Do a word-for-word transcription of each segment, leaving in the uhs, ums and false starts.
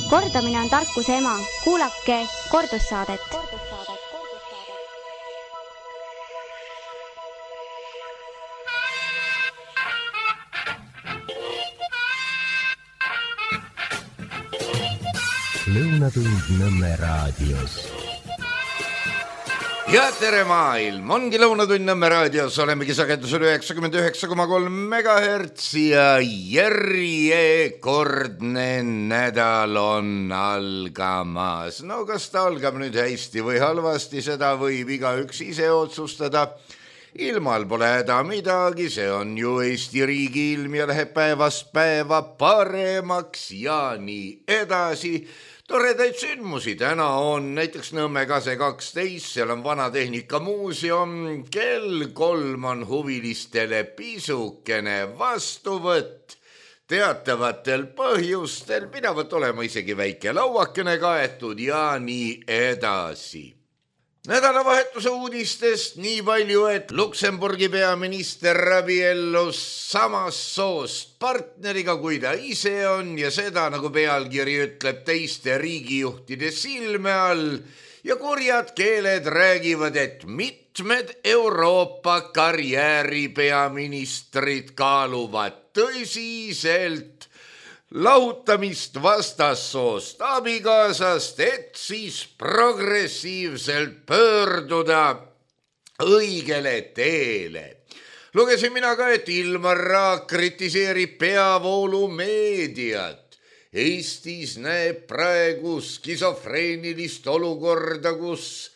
Kordamine on tarkuse ema. Kuulake kordussaadet. Lõunatund Nõmme raadios. Ja tere maailm, ongi Lõunatund Nõmme raadios, olemegi sagedusel üheksakümmend üheksa koma kolm megahertsi ja järjekordne nädal on algamas. No kas ta algab nüüd hästi või halvasti, seda võib igaüks ise otsustada. Ilmal pole häda midagi, see on ju Eesti riigi ilm ja läheb päevast päeva paremaks ja nii edasi. Toredaid sündmusi täna on näiteks Nõmme Kase kaksteist, seal on Vanatehnika muuseum, kell kolm on huvilistele pisukene vastuvõtt. Teatavatel põhjustel pidavat olema isegi väike lauakene kaetud ja nii edasi. Nädalavahetuse uudistest nii palju, et Luksemburgi peaminister abiellus samast soost partneriga, kui ta ise on ja seda, nagu pealkiri ütleb, teiste riigijuhtide silme all ja kurjad keeled räägivad, et mitmed Euroopa karjääripeaministrid kaaluvad tõsiselt lahutamist vastassoost abikaasast, et siis progressiivselt pöörduda õigele teele. Lugesin mina ka, et Ilmar Raag kritiseerib peavoolumeediat. Eestis näeb praegu skisofreenilist olukorda, kus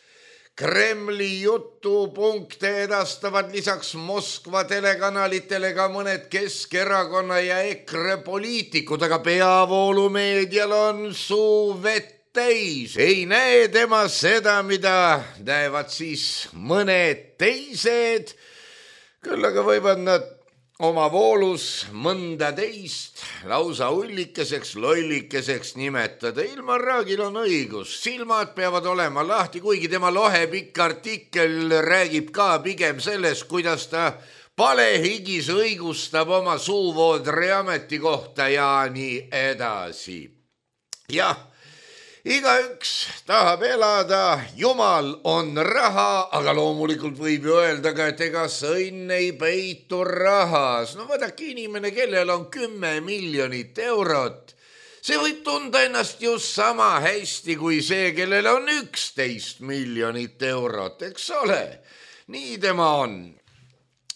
Kremli jutupunkte edastavad lisaks Moskva telekanalitele ka mõned Keskerakonna ja EKRE poliitikud, aga peavoolumeedial on suu vett täis. Ei näe tema seda, mida näevad siis mõned teised, küll aga võivad nad oma voolus mõnda teist lausa ullikeseks, lollikeseks nimetada. Ilmar Raagil on õigus, silmad peavad olema lahti, kuigi tema lohepikk artikkel räägib ka pigem sellest, kuidas ta palehigis õigustab oma suuvoodri ametikohta ja nii edasi. Jah, igaüks tahab elada, Jumal on raha, aga loomulikult võib ju öelda ka, et ega sõnn ei peitu rahas. No vaadake, inimene, kellel on kümme miljonit eurot, see võib tunda ennast just sama hästi kui see, kellel on üksteist miljonit eurot, eks ole? Nii tema on.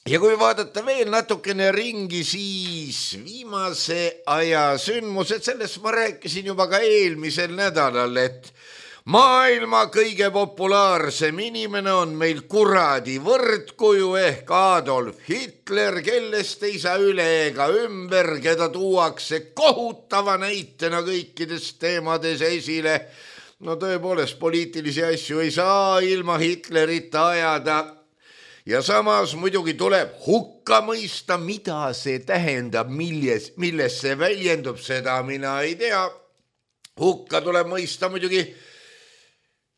Ja kui vaadata veel natukene ringi, siis viimase aja sündmused, sellest ma rääkisin juba ka eelmisel nädalal, et maailma kõige populaarsem inimene on meil kuradi võrdkuju ehk Adolf Hitler, kellest ei saa üle ega ümber, keda tuuakse kohutava näitena kõikides teemades esile. No tõepoolest, poliitilisi asju ei saa ilma Hitlerita ajada. Ja samas muidugi tuleb hukka mõista, mida see tähendab, milles, milles see väljendub, seda mina ei tea. Hukka tuleb mõista muidugi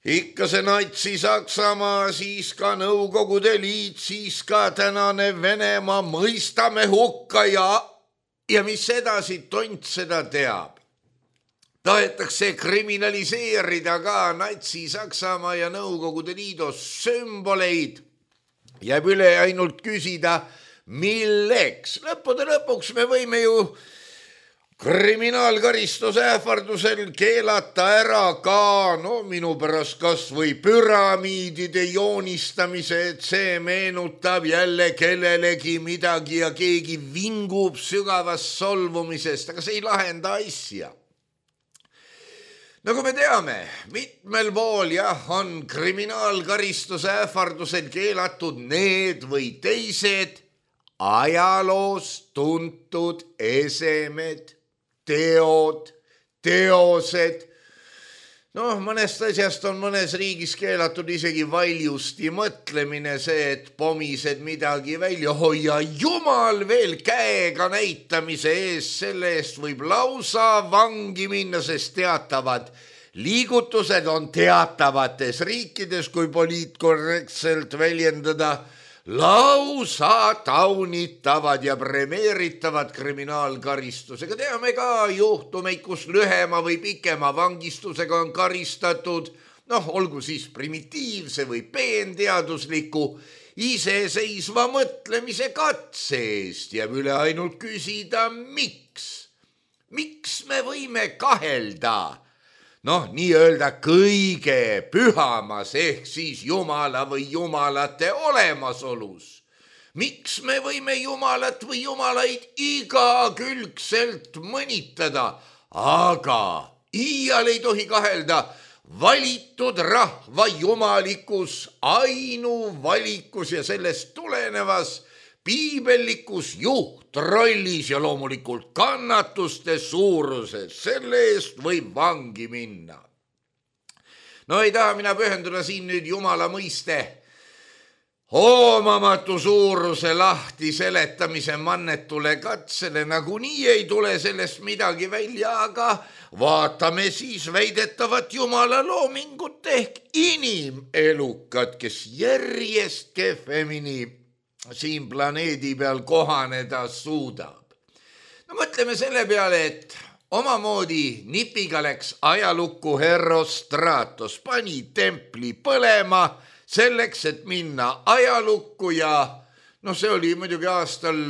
ikka see natsi Saksamaa, siis ka Nõukogude Liit, siis ka tänane Venemaa, mõistame hukka ja, ja mis edasi, tont seda teab. Tahetakse kriminaliseerida ka natsi Saksamaa ja Nõukogude Liidu sümboleid. Jääb üle ainult küsida, milleks. Lõppude lõpuks me võime ju kriminaalkaristuse ähvardusel keelata ära ka, no minu pärast kas või püramiidide joonistamise, et see meenutab jälle kellelegi midagi ja keegi vingub sügavast solvumisest, aga see ei lahenda asja. Nagu me teame, mitmel pool jah, on kriminaalkaristuse ähvardusel keelatud need või teised ajaloos tuntud esemed, teod, teosed. Noh, mõnest asjast on mõnes riigis keelatud isegi valjusti mõtlemine, see, et pomised midagi välja hoia. Jumal veel käega näitamise ees, selle eest võib lausa vangi minna, sest teatavad liigutused on teatavates riikides, kui poliitkorrektselt väljendada, lausa taunitavad ja premeeritavad kriminaalkaristusega. Teame ka juhtumeid, kus lühema või pikema vangistusega on karistatud, noh, olgu siis primitiivse või peenteadusliku iseseisva mõtlemise katse eest. Jääb üle ainult küsida, miks? Miks me võime kahelda noh, nii-öelda kõige pühamas ehk siis Jumala või jumalate olemasolus? Miks me võime Jumalat või jumalaid igakülgselt mõnitada, aga iial ei tohi kahelda valitud rahva jumalikus ainuvalikus ja sellest tulenevas piibellikus juhtrollis ja loomulikult kannatuste suuruses, selle eest võib vangi minna. No ei taha mina pühenduda siin nüüd Jumala mõiste hoomamatu suuruse lahti seletamise mannetule katsele, nagunii ei tule sellest midagi välja, aga vaatame siis väidetavat Jumala loomingut ehk inimelukat, kes järjest kehvemini siin planeedi peal kohaneda suudab. No mõtleme selle peale, et omamoodi nipiga läks ajalukku Herostratos, pani templi põlema selleks, et minna ajalukku ja noh, see oli muidugi aastal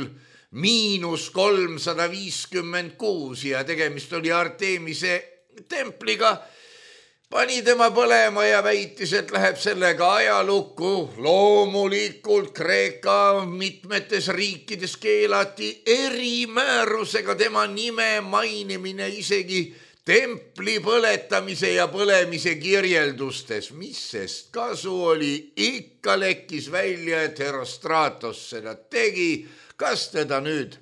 miinus kolmsada viiskümmend kuus ja tegemist oli Artemise templiga. Pani tema põlema ja väitis, et läheb sellega ajalukku. Loomulikult Kreeka mitmetes riikides keelati erimäärusega tema nime mainimine isegi templi põletamise ja põlemise kirjeldustes. Mis sest kasu oli, ikka lekkis välja, et Herostratos seda tegi. Kas teda nüüd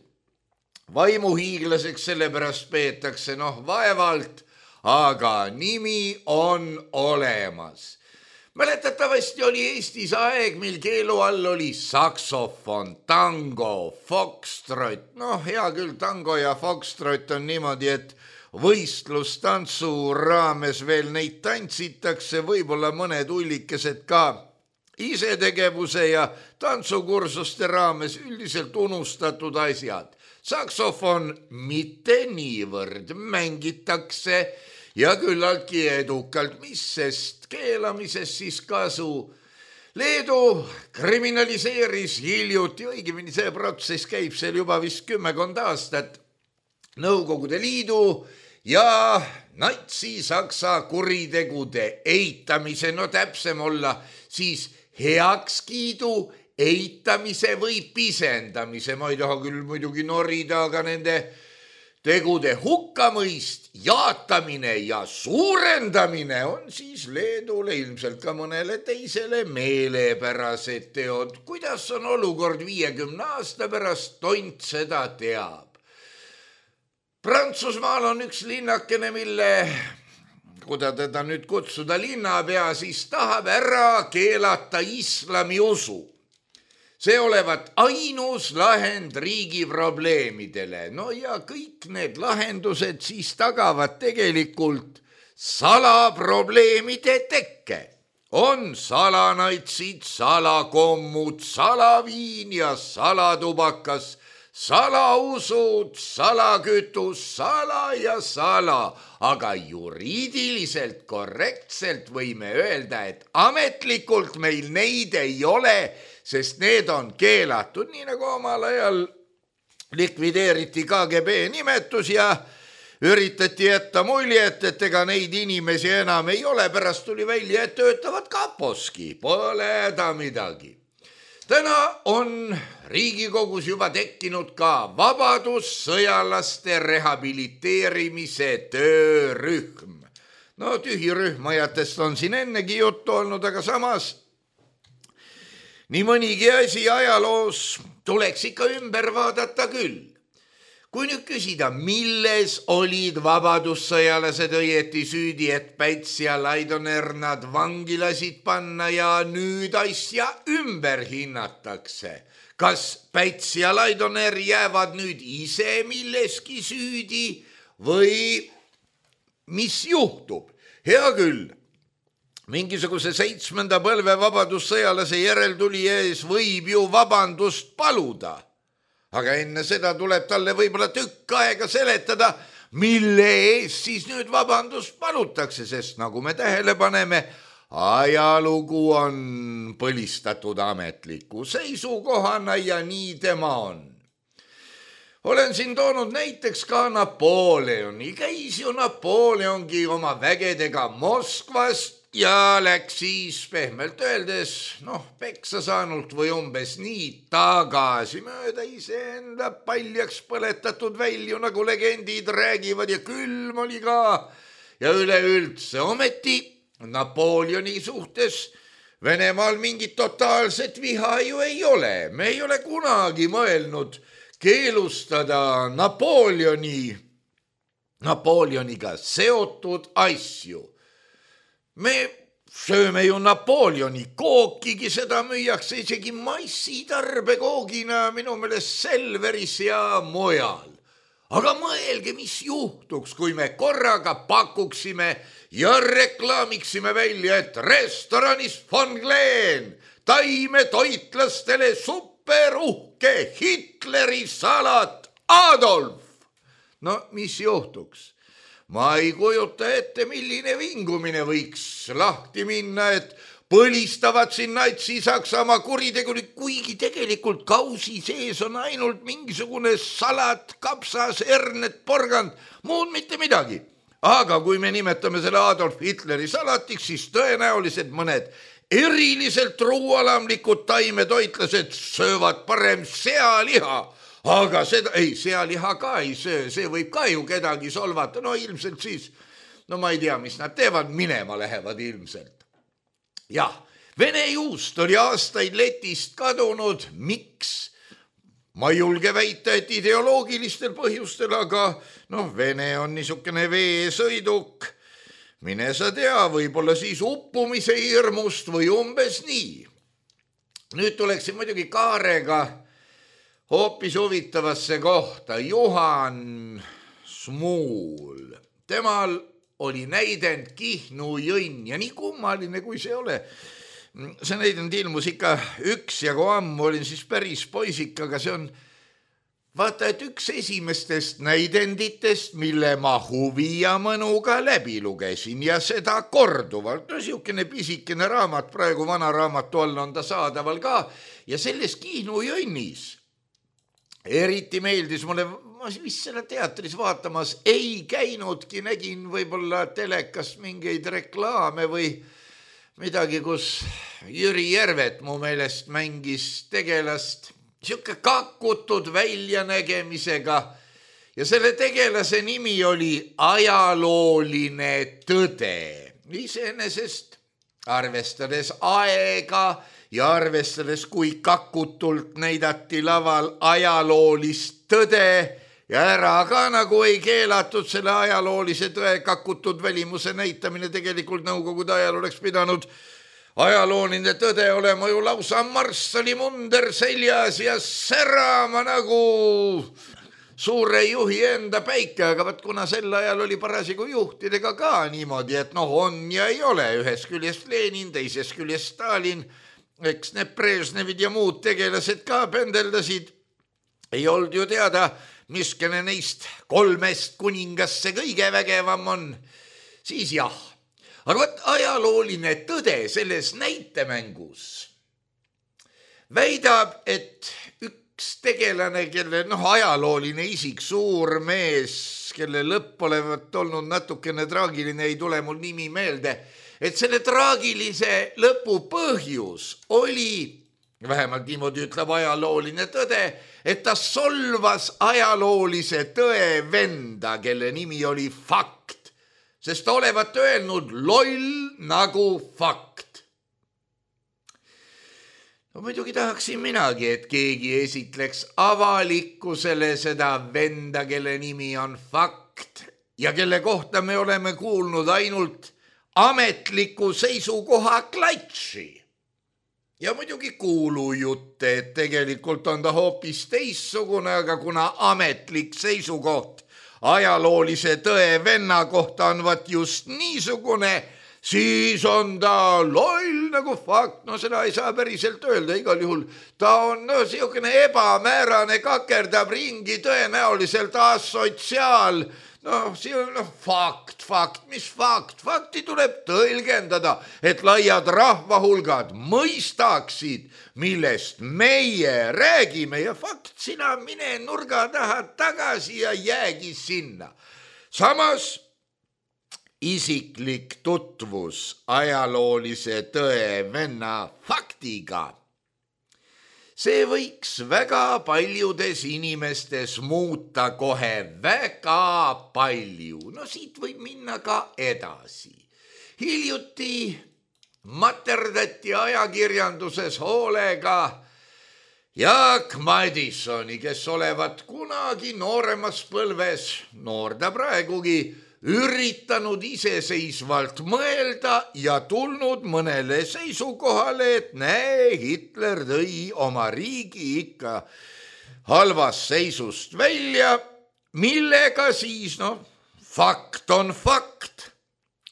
vaimuhiiglaseks sellepärast peetakse? Noh, vaevalt. Aga nimi on olemas. Mäletatavasti oli Eestis aeg, mil keelu all oli saksofon, tango, foxtrot. Noh, hea küll, tango ja foxtrot on niimoodi, et võistlustantsu raames veel neid tantsitakse, võib-olla mõned ullikesed ka isetegevuse ja tantsukursuste raames üldiselt unustatud asjad. Saksofon mitte niivõrd mängitakse ja küllaltki edukalt, mis sest keelamisest siis kasu. Leedu kriminaliseeris hiljuti, õigemini see protsess käib seal juba vist kümmekond aastat, Nõukogude Liidu ja natsi-saksa kuritegude eitamise, no täpsem olla siis heakskiidu eitamise või pisendamise. Ma ei taha küll muidugi norida, aga nende tegude hukkamõist, jaatamine ja suurendamine on siis Leedule, ilmselt ka mõnele teisele meelepärased teod. Kuidas on olukord viiekümne aasta pärast, tont seda teab. Prantsusmaal on üks linnakene, mille, kuida teda nüüd kutsuda linnapea, siis tahab ära keelata islami usu. See olevat ainus lahend riigi probleemidele. No ja kõik need lahendused siis tagavad tegelikult salaprobleemide tekke. On salanatsid, salakommud, salaviin ja salatubakas, salausud, salakütus, sala ja sala. Aga juriidiliselt korrektselt võime öelda, et ametlikult meil neid ei ole, sest need on keelatud, nii nagu omal ajal likvideeriti K G B nimetus ja üritati jätta muljet, et ega neid inimesi enam ei ole, pärast tuli välja, et töötavad kaposki, pole ta midagi. Täna on Riigikogus juba tekkinud ka vabadussõjalaste rehabiliteerimise töörühm. No tühirühmajatest on siin ennegi juttu olnud, aga samas nii mõnigi asi ajaloos tuleks ikka ümber vaadata küll. Kui nüüd küsida, milles olid vabadussõjalased õieti süüdi, et Päts ja Laidoner nad vangi lasid panna ja nüüd asja ümber hinnatakse. Kas Päts ja Laidoner jäävad nüüd ise milleski süüdi või mis juhtub? Hea küll. mingisuguse seitsmenda põlve vabadussõjalase järeltulija ees võib ju vabandust paluda. Aga enne seda tuleb talle võib-olla tükk aega seletada, mille ees siis nüüd vabandust palutakse, sest nagu me tähele paneme, ajalugu on põlistatud ametliku seisukohana ja nii tema on. Olen siin toonud näiteks ka Napoleoni. Käis ju Napoleongi oma vägedega Moskvas ja läks siis pehmelt öeldes, noh, peksa saanult või umbes nii tagasi mööda iseenda paljaks põletatud välju, nagu legendid räägivad ja külm oli ka. Ja üleüldse ometi Napoleoni suhtes Venemaal mingit totaalset viha ju ei ole. Me ei ole kunagi mõelnud keelustada Napoleoni, Napoleoniga seotud asju. Me sööme ju Napoleoni kookigi, seda müüakse isegi massitarbekoogina minu meelest Selveris ja mujal. Aga mõelge, mis juhtuks, kui me korraga pakuksime ja reklaamiksime välja, et restoranis Von Glen taimetoitlastele superuhke Hitleri salat Adolf. No mis juhtuks? Ma ei kujuta ette, milline vingumine võiks lahti minna, et põlistavad siin Natsi-Saksamaa kuritegulik, kuigi tegelikult kausi sees on ainult mingisugune salat, kapsas, hernet, porgand, muud mitte midagi. Aga kui me nimetame selle Adolf Hitleri salatiks, siis tõenäoliselt mõned eriliselt truualamlikud taimetoitlased söövad parem sealiha. Aga seda, ei, sealiha ka ei söö, see võib ka ju kedagi solvata, no ilmselt siis, no ma ei tea, mis nad teevad, minema lähevad ilmselt. Jah, Vene juust oli aastaid Letist kadunud, miks? Ma ei julge väita, et ideoloogilistel põhjustel, aga noh, Vene on niisugune veesõiduk, mine sa tea, võib-olla siis uppumise hirmust või umbes nii. Nüüd tuleksin muidugi Kaarega hoopis huvitavasse kohta. Juhan Smuul. Temal oli näidend Kihnu jõnn ja nii kummaline, kui see ole. See näidend ilmus ikka üks ja kui ammu olin siis päris poisik, aga see on vaata, et üks esimestest näidenditest, mille ma huvi ja mõnuga läbi lugesin ja seda korduvalt. No siukene pisikene raamat, praegu vana raamatu all on ta saadaval ka ja selles Kihnu jõnnis eriti meeldis mulle, ma vist selle teatris vaatamas ei käinudki, nägin võib-olla telekast mingeid reklaame või midagi, kus Jüri Järvet mu meelest mängis tegelast siuke kakutud väljanägemisega ja selle tegelase nimi oli ajalooline tõde. Iseenesest arvestades aega ja arvestades, kui kakutult näidati laval ajaloolist tõde ja ära ka nagu ei keelatud selle ajaloolise tõe kakutud välimuse näitamine, tegelikult Nõukogude ajal oleks pidanud ajalooline tõde olema ju lausa marssalimunder seljas ja särama nagu suure juhi enda päike, aga vaat kuna sel ajal oli parasigu juhtidega ka niimoodi, et noh, on ja ei ole, ühes küljest Lenin, teises küljest Stalin, eks need Brežnevid ja muud tegelased ka pendeldasid. Ei olnud ju teada, miskene neist kolmest kuningas see kõige vägevam on. Siis jah, aga võt ajalooline tõde selles näitemängus väidab, et üks tegelane, kelle noh, ajalooline isik, suur mees, kelle lõpp olevat olnud natukene traagiline, ei tule mul nimi meelde, et selle traagilise lõpu põhjus oli, vähemalt niimoodi ütleb ajalooline tõde, et ta solvas ajaloolise tõe venda, kelle nimi oli Fakt, sest ta olevat öelnud loll nagu fakt. No muidugi tahaksin minagi, et keegi esitleks avalikkusele seda venda, kelle nimi on Fakt ja kelle kohta me oleme kuulnud ainult ametliku seisukoha klatši. Ja muidugi kuulujutte, et tegelikult on ta hoopis teissugune, aga kuna ametlik seisukoht ajaloolise tõe venna kohta on vat just niisugune, siis on ta loll nagu fakt, no seda ei saa päriselt öelda, igal juhul ta on no siukene ebamäärane, kakerdab ringi, tõenäoliselt asotsiaal, no see on no, fakt, fakt, mis fakt, fakti tuleb tõlgendada, et laiad rahvahulgad mõistaksid, millest meie räägime ja fakt, sina mine nurga taha tagasi ja jäägi sinna. Samas isiklik tutvus ajaloolise tõe venna faktiga. See võiks väga paljudes inimestes muuta kohe väga palju. No siit võib minna ka edasi. Hiljuti materdati ajakirjanduses hoolega Jaak Madissoni, kes olevat kunagi nooremas põlves, noor ta praegugi, üritanud iseseisvalt mõelda ja tulnud mõnele seisukohale, et näe, Hitler tõi oma riigi ikka halvast seisust välja, millega siis, noh, fakt on fakt,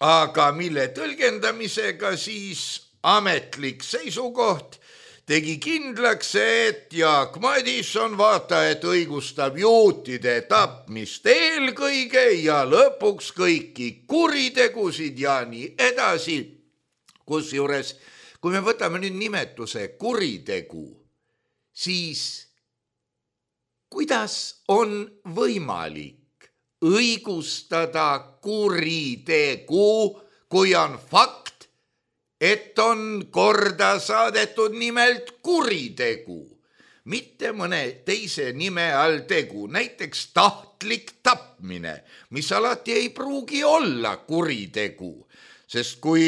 aga mille tõlgendamisega siis ametlik seisukoht tegi kindlaks, et Jaak Madisson vaata, et õigustab juutide tapmist eelkõige ja lõpuks kõiki kuritegusid ja nii edasi. Kusjuures, kui me võtame nüüd nimetuse kuritegu, siis kuidas on võimalik õigustada kuritegu, kui on fakt, et on korda saadetud nimelt kuritegu, mitte mõne teise nime all tegu, näiteks tahtlik tapmine, mis alati ei pruugi olla kuritegu, sest kui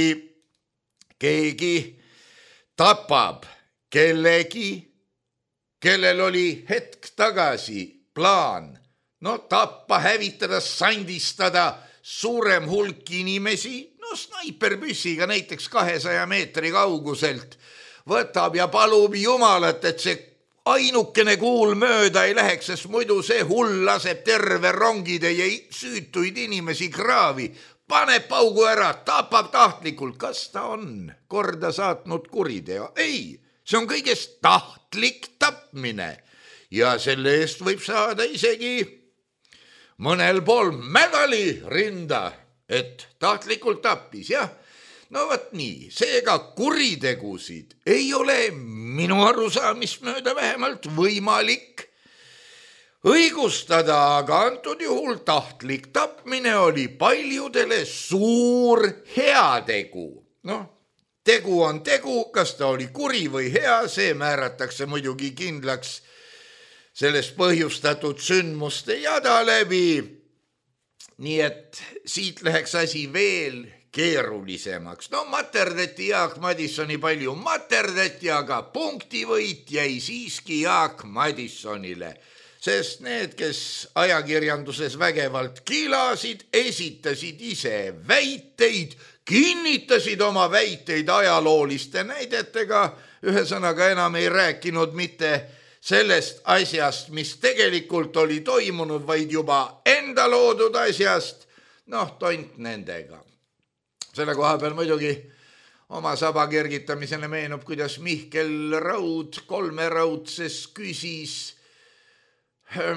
keegi tapab kellegi, kellel oli hetk tagasi plaan, no tappa, hävitada, sandistada suurem hulk inimesi, no snaiperpüssiga näiteks kahesaja meetri kauguselt võtab ja palub jumalat, et see ainukene kuul mööda ei läheks, sest muidu see hull laseb terve rongitäie süütuid inimesi kraavi, paneb paugu ära, tapab tahtlikult. Kas ta on korda saatnud kuriteo? Ei, see on kõigest tahtlik tapmine ja selle eest võib saada isegi mõnel pool medali rinda, et tahtlikult tappis, jah. No võt nii, seega kuritegusid ei ole minu arusaamist mööda vähemalt võimalik õigustada, aga antud juhul tahtlik tapmine oli paljudele suur heategu. Noh, tegu on tegu, kas ta oli kuri või hea, see määratakse muidugi kindlaks sellest põhjustatud sündmuste jada läbi. Nii et siit läheks asi veel keerulisemaks. No materdati Jaak Madissoni palju materdati, aga punktivõit jäi siiski Jaak Madissonile, sest need, kes ajakirjanduses vägevalt kilasid, esitasid ise väiteid, kinnitasid oma väiteid ajalooliste näidetega, ühesõnaga enam ei rääkinud mitte sellest asjast, mis tegelikult oli toimunud, vaid juba enda loodud asjast, noh, tont nendega. Selle koha peal muidugi oma saba kergitamisele meenub, kuidas Mihkel Raud kolmeraudses küsis,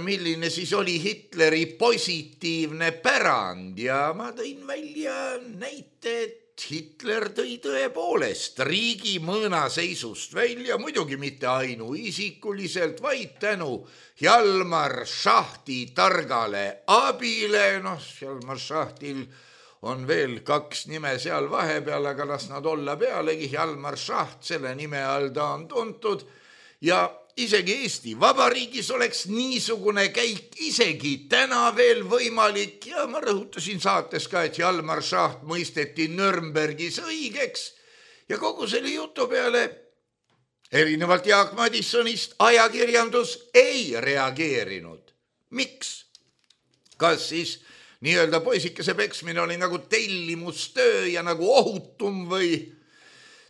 milline siis oli Hitleri positiivne pärand ja ma tõin välja näite, et Hitler tõi tõepoolest riigi mõõnaseisust välja, muidugi mitte ainuisikuliselt, vaid tänu Hjalmar Šahti targale abile. Noh, Hjalmar Šahtil on veel kaks nime seal vahepeal, aga las nad olla pealegi. Hjalmar Šaht, selle nime all ta on tuntud ja isegi Eesti Vabariigis oleks niisugune käik isegi täna veel võimalik ja ma rõhutasin saates ka, et Hjalmar Šaht mõisteti Nürnbergis õigeks ja kogu selle jutu peale erinevalt Jaak Madissonist ajakirjandus ei reageerinud. Miks? Kas siis nii-öelda poisikese peksmine oli nagu tellimustöö ja nagu ohutum või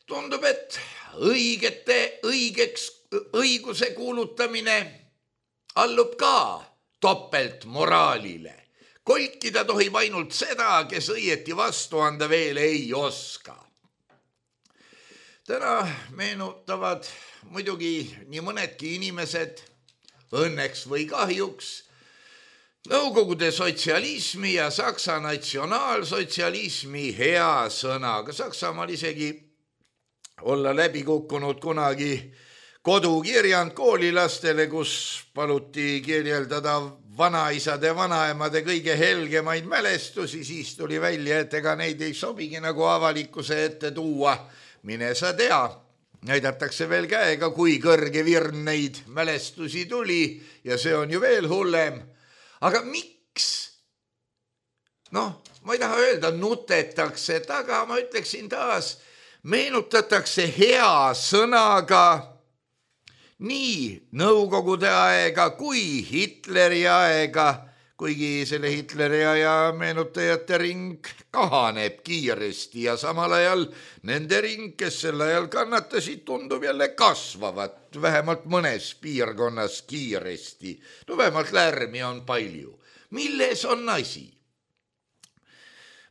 tundub, et õigete õigeks õiguse kuulutamine allub ka topelt moraalile. kolkida tohib ainult seda, kes õieti vastu anda veel ei oska. Täna meenutavad muidugi nii mõnedki inimesed, õnneks või kahjuks, Nõukogude sotsialismi ja Saksa natsionaalsotsialismi hea sõnaga. Saksamaal isegi olla läbi kukkunud kunagi kodukirjand koolilastele, kus paluti kirjeldada vanaisade, vanaemade kõige helgemaid mälestusi, siis tuli välja, et ega neid ei sobigi nagu avalikkuse ette tuua. Mine sa tea, näidatakse veel käega, kui kõrge virn neid mälestusi tuli ja see on ju veel hullem. Aga miks? Noh, ma ei taha öelda, nutetakse taga, ma ütleksin taas, meenutatakse hea sõnaga nii Nõukogude aega kui Hitleri aega, kuigi selle Hitleri aja meenutajate ring kahaneb kiiresti ja samal ajal nende ring, kes sel ajal kannatasid, tundub jälle kasvavat, vähemalt mõnes piirkonnas kiiresti. No vähemalt lärmi on palju. Milles on asi?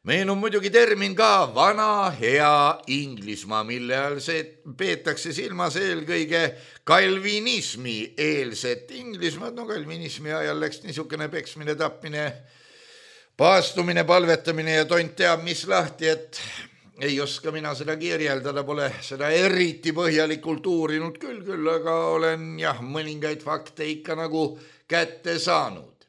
Meenub muidugi termin ka vana hea Inglismaa, mille all see peetakse silmas eelkõige kalvinismi eelset Inglismaad. No kalvinismi ajal läks niisugune peksmine, tapmine, paastumine, palvetamine ja tont teab mis lahti, et ei oska mina seda kirjeldada, pole seda eriti põhjalikult uurinud küll, küll, aga olen jah, mõningaid fakte ikka nagu kätte saanud.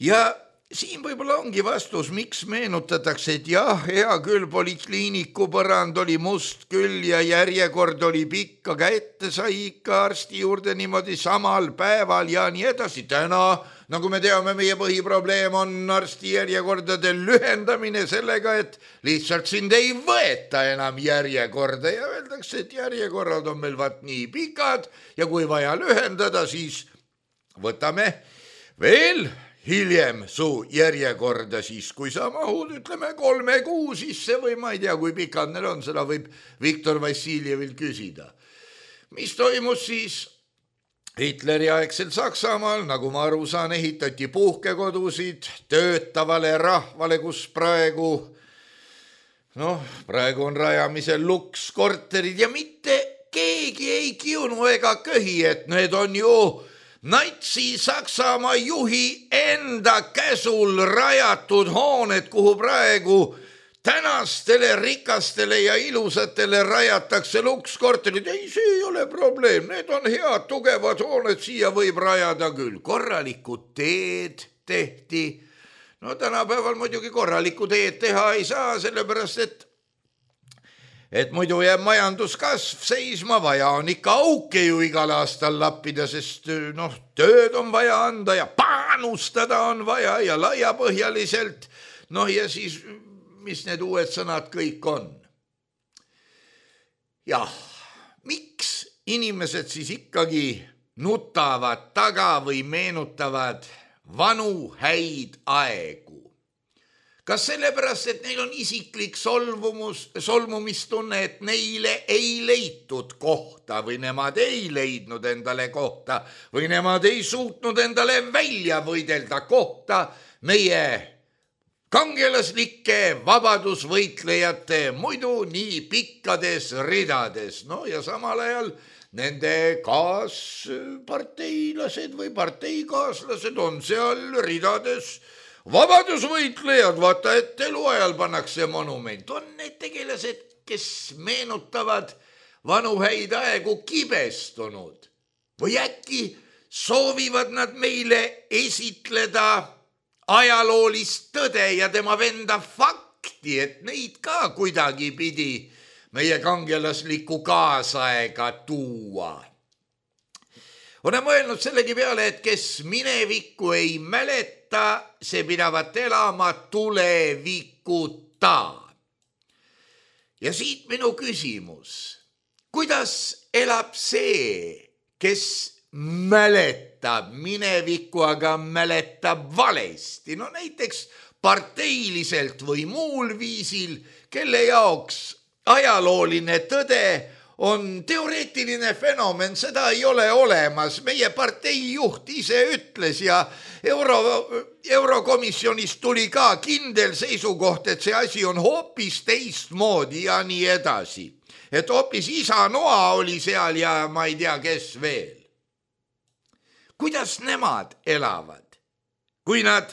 Ja siin võib-olla ongi vastus, miks meenutatakse, et jah, hea küll, polikliiniku põrand oli must küll ja järjekord oli pikk, aga ette sai ikka arsti juurde niimoodi samal päeval ja nii edasi. Täna, nagu me teame, meie põhiprobleem on arsti järjekordade lühendamine sellega, et lihtsalt sind ei võeta enam järjekorda ja öeldakse, et järjekorrad on meil vaat nii pikad ja kui vaja lühendada, siis võtame veel hiljem su järjekorda siis, kui sa mahud, ütleme kolme kuu sisse või ma ei tea, kui pikad need on, seda võib Viktor Vassiljevil küsida. Mis toimus siis Hitleri aegsel Saksamaal, nagu ma aru saan, ehitati puhkekodusid töötavale rahvale, kus praegu, noh, praegu on rajamisel lukskorterid ja mitte keegi ei kiunu ega köhi, et need on ju Natsi Saksamaa juhi enda käsul rajatud hooned, kuhu praegu tänastele rikastele ja ilusatele rajatakse lukskorterid. Ei, see ei ole probleem, need on head, tugevad hooned, siia võib rajada küll. Korralikud teed tehti. No tänapäeval muidugi korralikku teed teha ei saa, sellepärast et et muidu jääb majanduskasv seisma, vaja on ikka auke ju igal aastal lappida, sest noh, tööd on vaja anda ja panustada on vaja ja laiapõhjaliselt. Noh ja siis, mis need uued sõnad kõik on? Jah, miks inimesed siis ikkagi nutavad taga või meenutavad vanu häid aegu? Kas sellepärast, et neil on isiklik solvumus, solvumistunne, et neile ei leitud kohta või nemad ei leidnud endale kohta või nemad ei suutnud endale välja võidelda kohta meie kangelaslike vabadusvõitlejate muidu nii pikkades ridades. No ja samal ajal nende kaasparteilased või parteikaaslased on seal ridades vabadusvõitlejad, vaata, et eluajal pannakse monument. On need tegelased, kes meenutavad vanu häid aegu kibestunud või äkki soovivad nad meile esitleda ajaloolist tõde ja tema venda fakti, et neid ka kuidagi pidi meie kangelaslikku kaasaega tuua. Olen mõelnud sellegi peale, et kes minevikku ei mäleta, see pidavat elama tulevikuta. Ja siit minu küsimus. Kuidas elab see, kes mäletab minevikku, aga mäletab valesti? No näiteks parteiliselt või muul viisil, kelle jaoks ajalooline tõde on teoreetiline fenomen, seda ei ole olemas. Meie partei juht ise ütles ja Euro, Eurokomisjonis tuli ka kindel seisukoht, et see asi on hoopis teistmoodi ja nii edasi. Et hoopis isa Noa oli seal ja ma ei tea, kes veel. Kuidas nemad elavad? Kui nad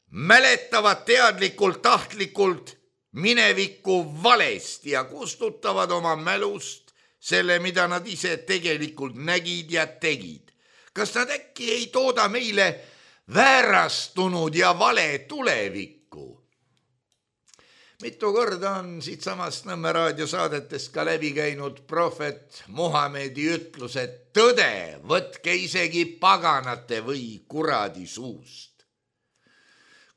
mäletavad teadlikult, tahtlikult minevikku valesti ja kustutavad oma mälust selle, mida nad ise tegelikult nägid ja tegid. Kas nad äkki ei tooda meile väärastunud ja vale tulevikku? Mitu korda on siit samast Nõmme raadiosaadetest ka läbi käinud prohvet Muhamedi ütlus, et tõde võtke isegi paganate või kuradi suust.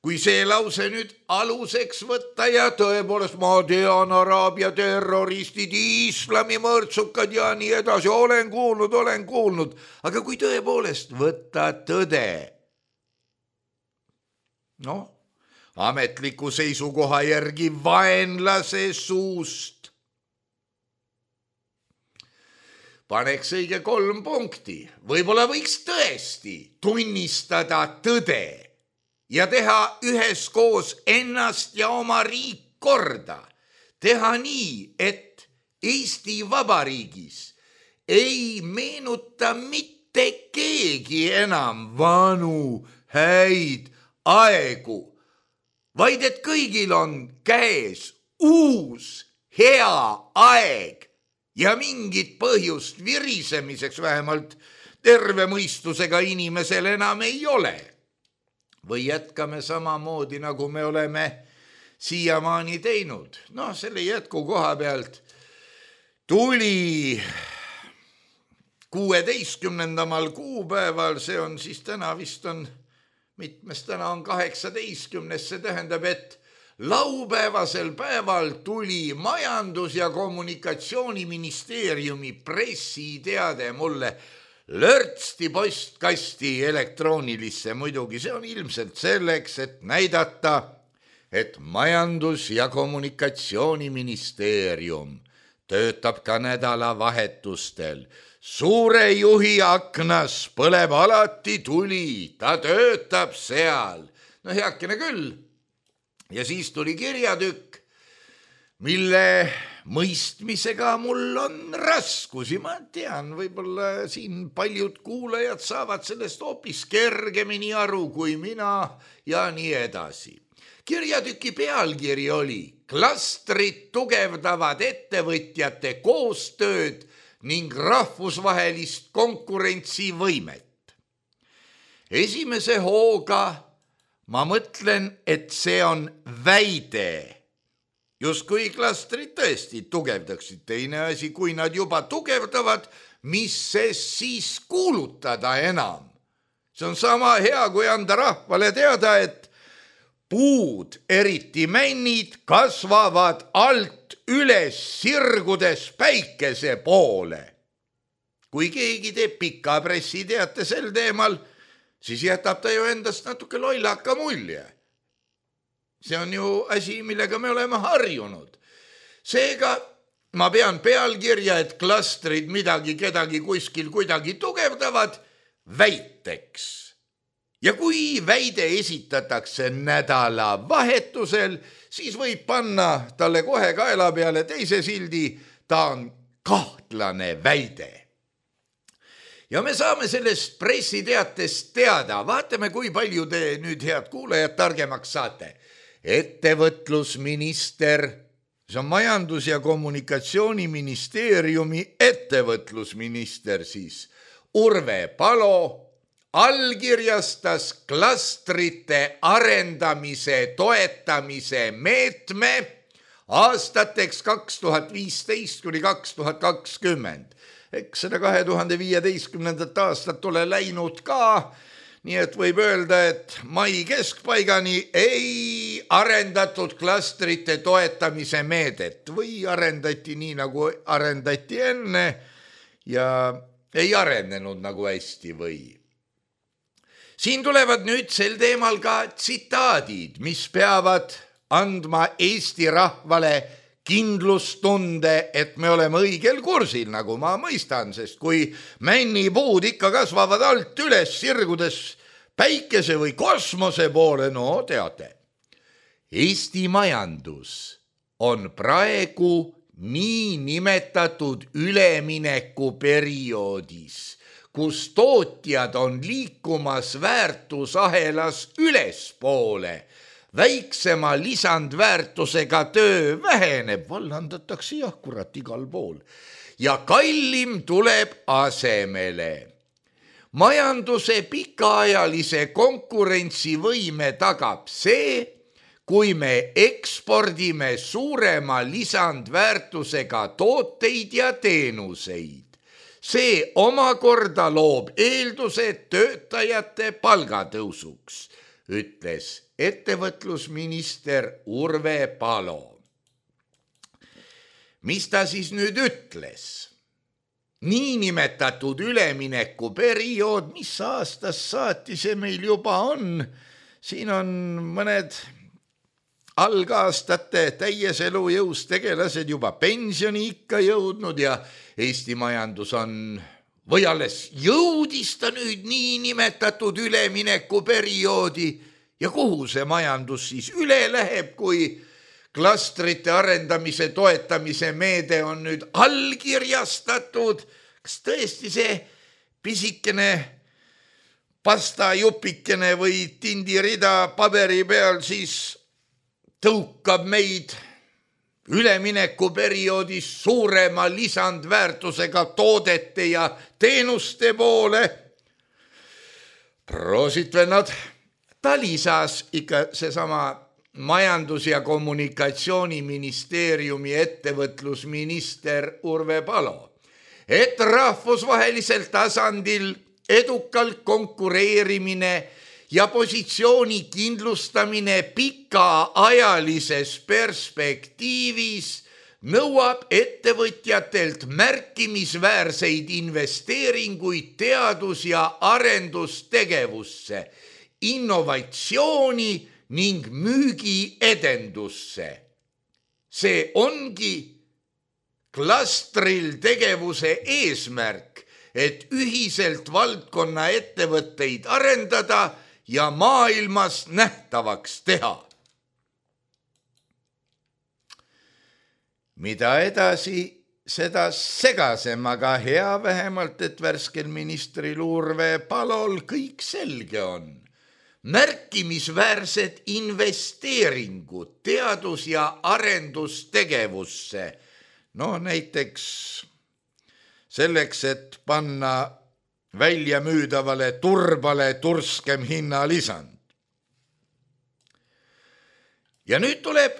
Kui see lause nüüd aluseks võtta ja tõepoolest ma tean Araabia terroristid, islami mõrtsukad ja nii edasi, olen kuulnud, olen kuulnud, aga kui tõepoolest võtta tõde, noh, ametliku seisukoha järgi vaenlase suust, paneks õige kolm punkti, võib-olla võiks tõesti tunnistada tõde ja teha üheskoos ennast ja oma riik korda. Teha nii, et Eesti Vabariigis ei meenuta mitte keegi enam vanu häid aegu, vaid et kõigil on käes uus hea aeg ja mingit põhjust virisemiseks vähemalt terve mõistusega inimesel enam ei ole. Või jätkame samamoodi, nagu me oleme siiamaani teinud. Noh, selle jätku koha pealt tuli kuueteistkümnendamal kuupäeval, see on siis täna vist on, mitmes täna on kaheksateistkümnes, see tähendab, et laupäevasel päeval tuli Majandus- ja Kommunikatsiooniministeeriumi pressiteade mulle lörtsti postkasti elektroonilisse, muidugi see on ilmselt selleks, et näidata, et Majandus- ja Kommunikatsiooniministeerium töötab ka nädalavahetustel. Suure juhi aknas põleb alati tuli, ta töötab seal. No heakene küll. Ja siis tuli kirjatükk, mille mõistmisega mul on raskusi, ma tean, võib-olla siin paljud kuulajad saavad sellest hoopis kergemini aru kui mina ja nii edasi. Kirjatüki pealkiri oli Klastrid tugevdavad ettevõtjate koostööd ning rahvusvahelist konkurentsivõimet. Esimese hooga ma mõtlen, et see on väide. Justkui klastrid tõesti tugevdaksid. Teine asi, kui nad juba tugevdavad, mis see siis kuulutada enam? See on sama hea, kui anda rahvale teada, et puud, eriti männid, kasvavad alt üles sirgudes päikese poole. Kui keegi teeb pika pressiteate sel teemal, siis jätab ta ju endast natuke lollaka mulje. See on ju asi, millega me oleme harjunud. Seega ma pean pealkirja, et klastrid midagi kedagi kuskil kuidagi tugevdavad, väiteks. Ja kui väide esitatakse nädala vahetusel, siis võib panna talle kohe kaela peale teise sildi, ta on kahtlane väide. Ja me saame sellest pressiteatest teada, vaatame, kui palju te nüüd, head kuulajad, targemaks saate. Ettevõtlusminister, see on Majandus- ja Kommunikatsiooniministeeriumi ettevõtlusminister siis, Urve Palo allkirjastas klastrite arendamise toetamise meetme aastateks kaks tuhat viisteist kuni kaks tuhat kakskümmend. Eks seda kahe tuhande viieteistkümnendat aastat ole läinud ka, nii et võib öelda, et mai keskpaigani ei arendatud klastrite toetamise meedet või arendati nii, nagu arendati enne ja ei arenenud nagu hästi või. Siin tulevad nüüd sel teemal ka tsitaadid, mis peavad andma Eesti rahvale kindlustunde, et me oleme õigel kursil, nagu ma mõistan, sest kui männipuud ikka kasvavad alt üles sirgudes päikese või kosmose poole, no teate. Eesti majandus on praegu nii nimetatud üleminekuperioodis, kus tootjad on liikumas väärtusahelas ülespoole. Väiksema lisandväärtusega töö väheneb, vallandatakse jah, kurat igal pool. Ja kallim tuleb asemele. Majanduse pikaajalise konkurentsivõime tagab see, kui me ekspordime suurema lisandväärtusega tooteid ja teenuseid. See omakorda loob eeldused töötajate palgatõusuks, ütles ettevõtlusminister Urve Palo. Mis ta siis nüüd ütles? Niinimetatud üleminekuperiood, mis aastast saati see meil juba on? Siin on mõned algaastate täies elujõus tegelased juba pensioni ikka jõudnud ja Eesti majandus on, või alles jõudis ta nüüd niinimetatud üleminekuperioodi ja kuhu see majandus siis üle läheb, kui klastrite arendamise toetamise meede on nüüd allkirjastatud? Kas tõesti see pisikene pastajupikene või tindirida paberi peal siis tõukab meid üleminekuperioodis suurema lisandväärtusega toodete ja teenuste poole? Proosit, vennad. Ta lisas ikka seesama majandus- ja kommunikatsiooniministeeriumi ettevõtlusminister Urve Palo, et rahvusvahelisel tasandil edukalt konkureerimine ja positsiooni kindlustamine pikaajalises perspektiivis nõuab ettevõtjatelt märkimisväärseid investeeringuid teadus- ja arendustegevusse, innovatsiooni ning müügiedendusse. See ongi klastril tegevuse eesmärk, et ühiselt valdkonna ettevõtteid arendada ja maailmas nähtavaks teha. Mida edasi, seda segasem, aga hea vähemalt, et värskel ministril Urve Palol kõik selge on. Märkimisväärsed investeeringud teadus- ja arendustegevusse, no näiteks selleks, et panna välja müüdavale turbale turskem hinnalisand. Ja nüüd tuleb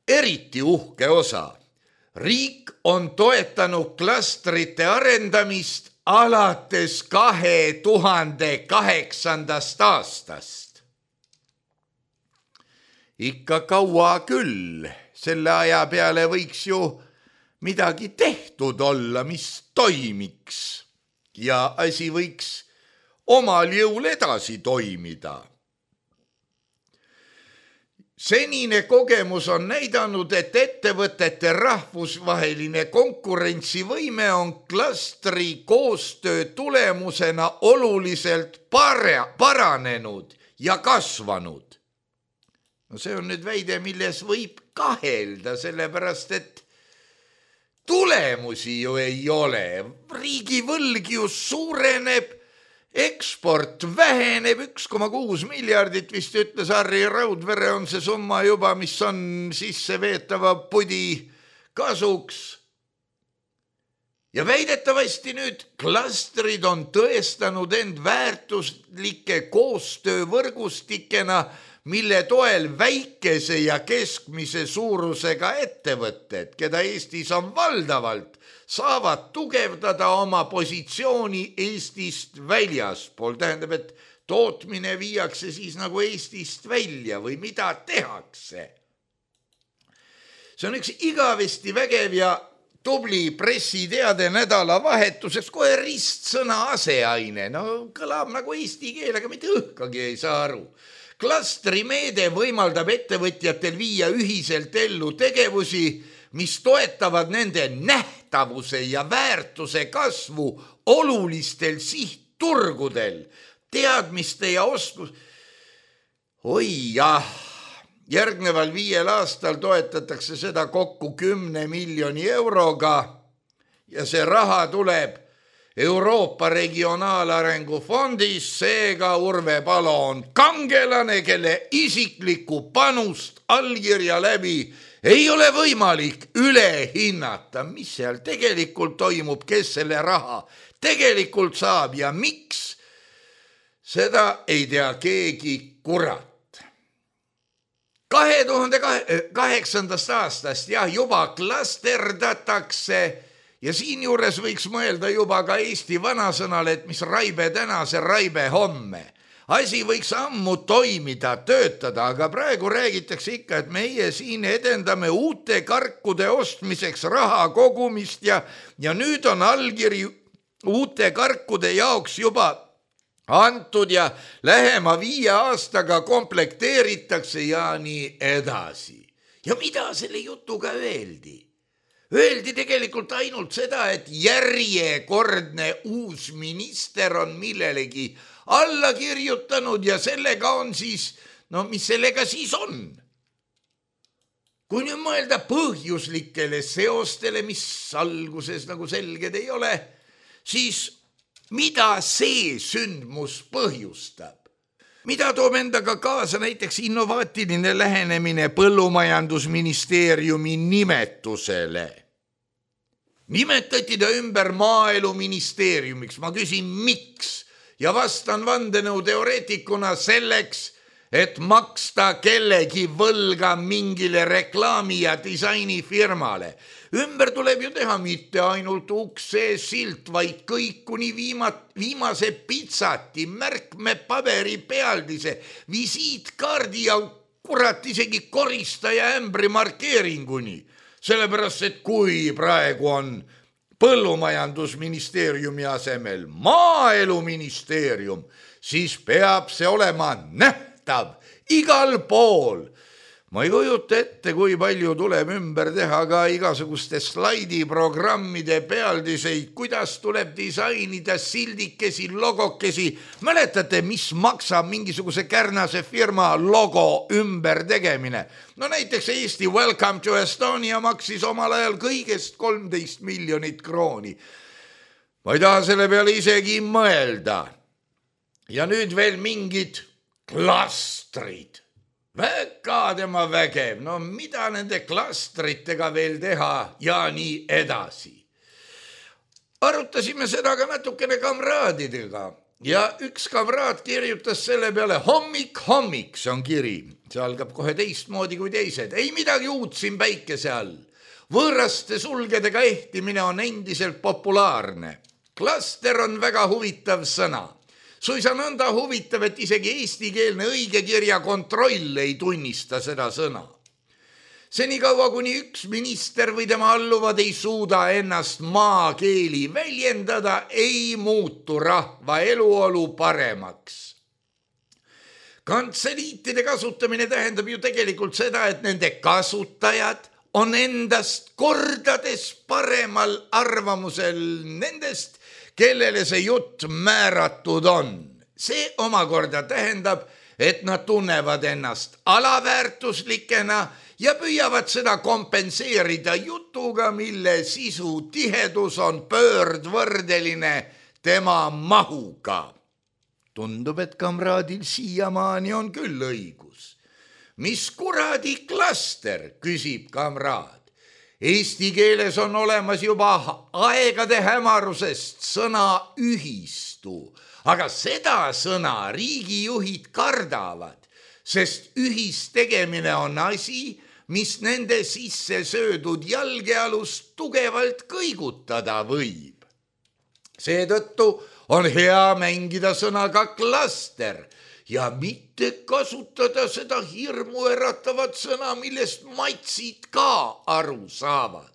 eriti uhke osa. Riik on toetanud klastrite arendamist alates kahe tuhande kaheksandast aastast. Ikka kaua küll, selle aja peale võiks ju midagi tehtud olla, mis toimiks. Ja asi võiks omal jõul edasi toimida. Senine kogemus on näidanud, et ettevõtete rahvusvaheline konkurentsivõime on klastri koostöö tulemusena oluliselt para- paranenud ja kasvanud. No see on nüüd väide, milles võib kahelda, sellepärast et tulemusi ju ei ole. Riigivõlg ju suureneb, eksport väheneb, üks koma kuus miljardit vist ütles Harri Raudvere on see summa juba, mis on sisse veetava pudi kasuks. Ja väidetavasti nüüd klastrid on tõestanud end väärtuslike koostöövõrgustikena, mille toel väikese ja keskmise suurusega ettevõtted, keda Eestis on valdavalt, saavad tugevdada oma positsiooni Eestist väljaspool. Tähendab, et tootmine viiakse siis nagu Eestist välja või mida tehakse. See on üks igavesti vägev ja tubli pressiteade nädalavahetuseks, kohe ristsõna aseaine. No kõlab nagu eesti keel, aga mitte õhkagi ei saa aru. Klastrimeede võimaldab ettevõtjatel viia ühiselt ellu tegevusi, mis toetavad nende nähtavuse ja väärtuse kasvu olulistel sihtturgudel, teadmiste ja oskus. Oi jah, järgneval viiel aastal toetatakse seda kokku kümne miljoni euroga ja see raha tuleb Euroopa Regionaalarengu Fondis, seega Urve Palo on kangelane, kelle isiklikku panust allkirja läbi ei ole võimalik üle hinnata, mis seal tegelikult toimub, kes selle raha tegelikult saab ja miks, seda ei tea keegi kurat. kahe tuhande kaheksandast aastast jah, juba klasterdatakse ja siinjuures võiks mõelda juba ka Eesti vanasõnale, et mis raibe täna, see raibe homme. Asi võiks ammu toimida, töötada, aga praegu räägitakse ikka, et meie siin edendame uute karkude ostmiseks raha kogumist ja, ja nüüd on allkiri uute karkude jaoks juba antud ja lähema viie aastaga komplekteeritakse ja nii edasi. Ja mida selle jutuga öeldi? Öeldi tegelikult ainult seda, et järjekordne uus minister on millelegi alla kirjutanud ja sellega on siis, no mis sellega siis on? Kui nüüd mõelda põhjuslikele seostele, mis alguses nagu selged ei ole, siis mida see sündmus põhjustab? Mida toob endaga kaasa näiteks innovaatiline lähenemine Põllumajandusministeeriumi nimetusele? Nimetati ta ümber Maaeluministeeriumiks. Ma küsin, miks? Ja vastan vandenõuteoreetikuna selleks, et maksta kellegi võlga mingile reklaami- ja disainifirmale. Ümber tuleb ju teha mitte ainult ukse silt, vaid kõik kuni viima- viimase pitsati, märkme paberi pealdise, visiitkaardi ja kurat isegi koristaja ämbri markeeringuni. Sellepärast, et kui praegu on Põllumajandusministeeriumi asemel Maaeluministeerium, siis peab see olema nähtav igal pool. Ma ei kujuta ette, kui palju tuleb ümber teha ka igasuguste slaidiprogrammide pealdiseid, kuidas tuleb disainida sildikesi, logokesi. Mäletate, mis maksab mingisuguse kärnase firma logo ümber tegemine? No näiteks Eesti Welcome to Estonia maksis omal ajal kõigest kolmteist miljonit krooni. Ma ei taha selle peale isegi mõelda. Ja nüüd veel mingid klastrid. Väga tema vägev, no mida nende klastritega veel teha ja nii edasi. Arutasime seda ka natukene kamraadidega ja üks kamraad kirjutas selle peale hommik, hommik, see on kiri. See algab kohe teistmoodi kui teised. Ei midagi uut siin päikese all. Võõraste sulgedega ehtimine on endiselt populaarne. Klaster on väga huvitav sõna. Suisa nõnda huvitav, et isegi eestikeelne õigekirja kontroll ei tunnista seda sõna. Senikaua kuni üks minister või tema alluvad ei suuda ennast maakeeli väljendada, ei muutu rahva eluolu paremaks. Kantseliitide kasutamine tähendab ju tegelikult seda, et nende kasutajad on endast kordades paremal arvamusel nendest, kellele see jutt määratud on. See omakorda tähendab, et nad tunnevad ennast alaväärtuslikena ja püüavad seda kompenseerida jutuga, mille sisu tihedus on pöördvõrdeline tema mahuga. Tundub, et kamraadil siiamaani on küll õigus. Mis kuradi klaster, küsib kamraad. Eesti keeles on olemas juba aegade hämarusest sõna ühistu, aga seda sõna riigijuhid kardavad, sest ühistegemine on asi, mis nende sisse söödud jalgealust tugevalt kõigutada võib. Seetõttu on hea mängida sõnaga klaster ja mitte kasutada seda hirmu eratavat sõna, millest matsid ka aru saavad.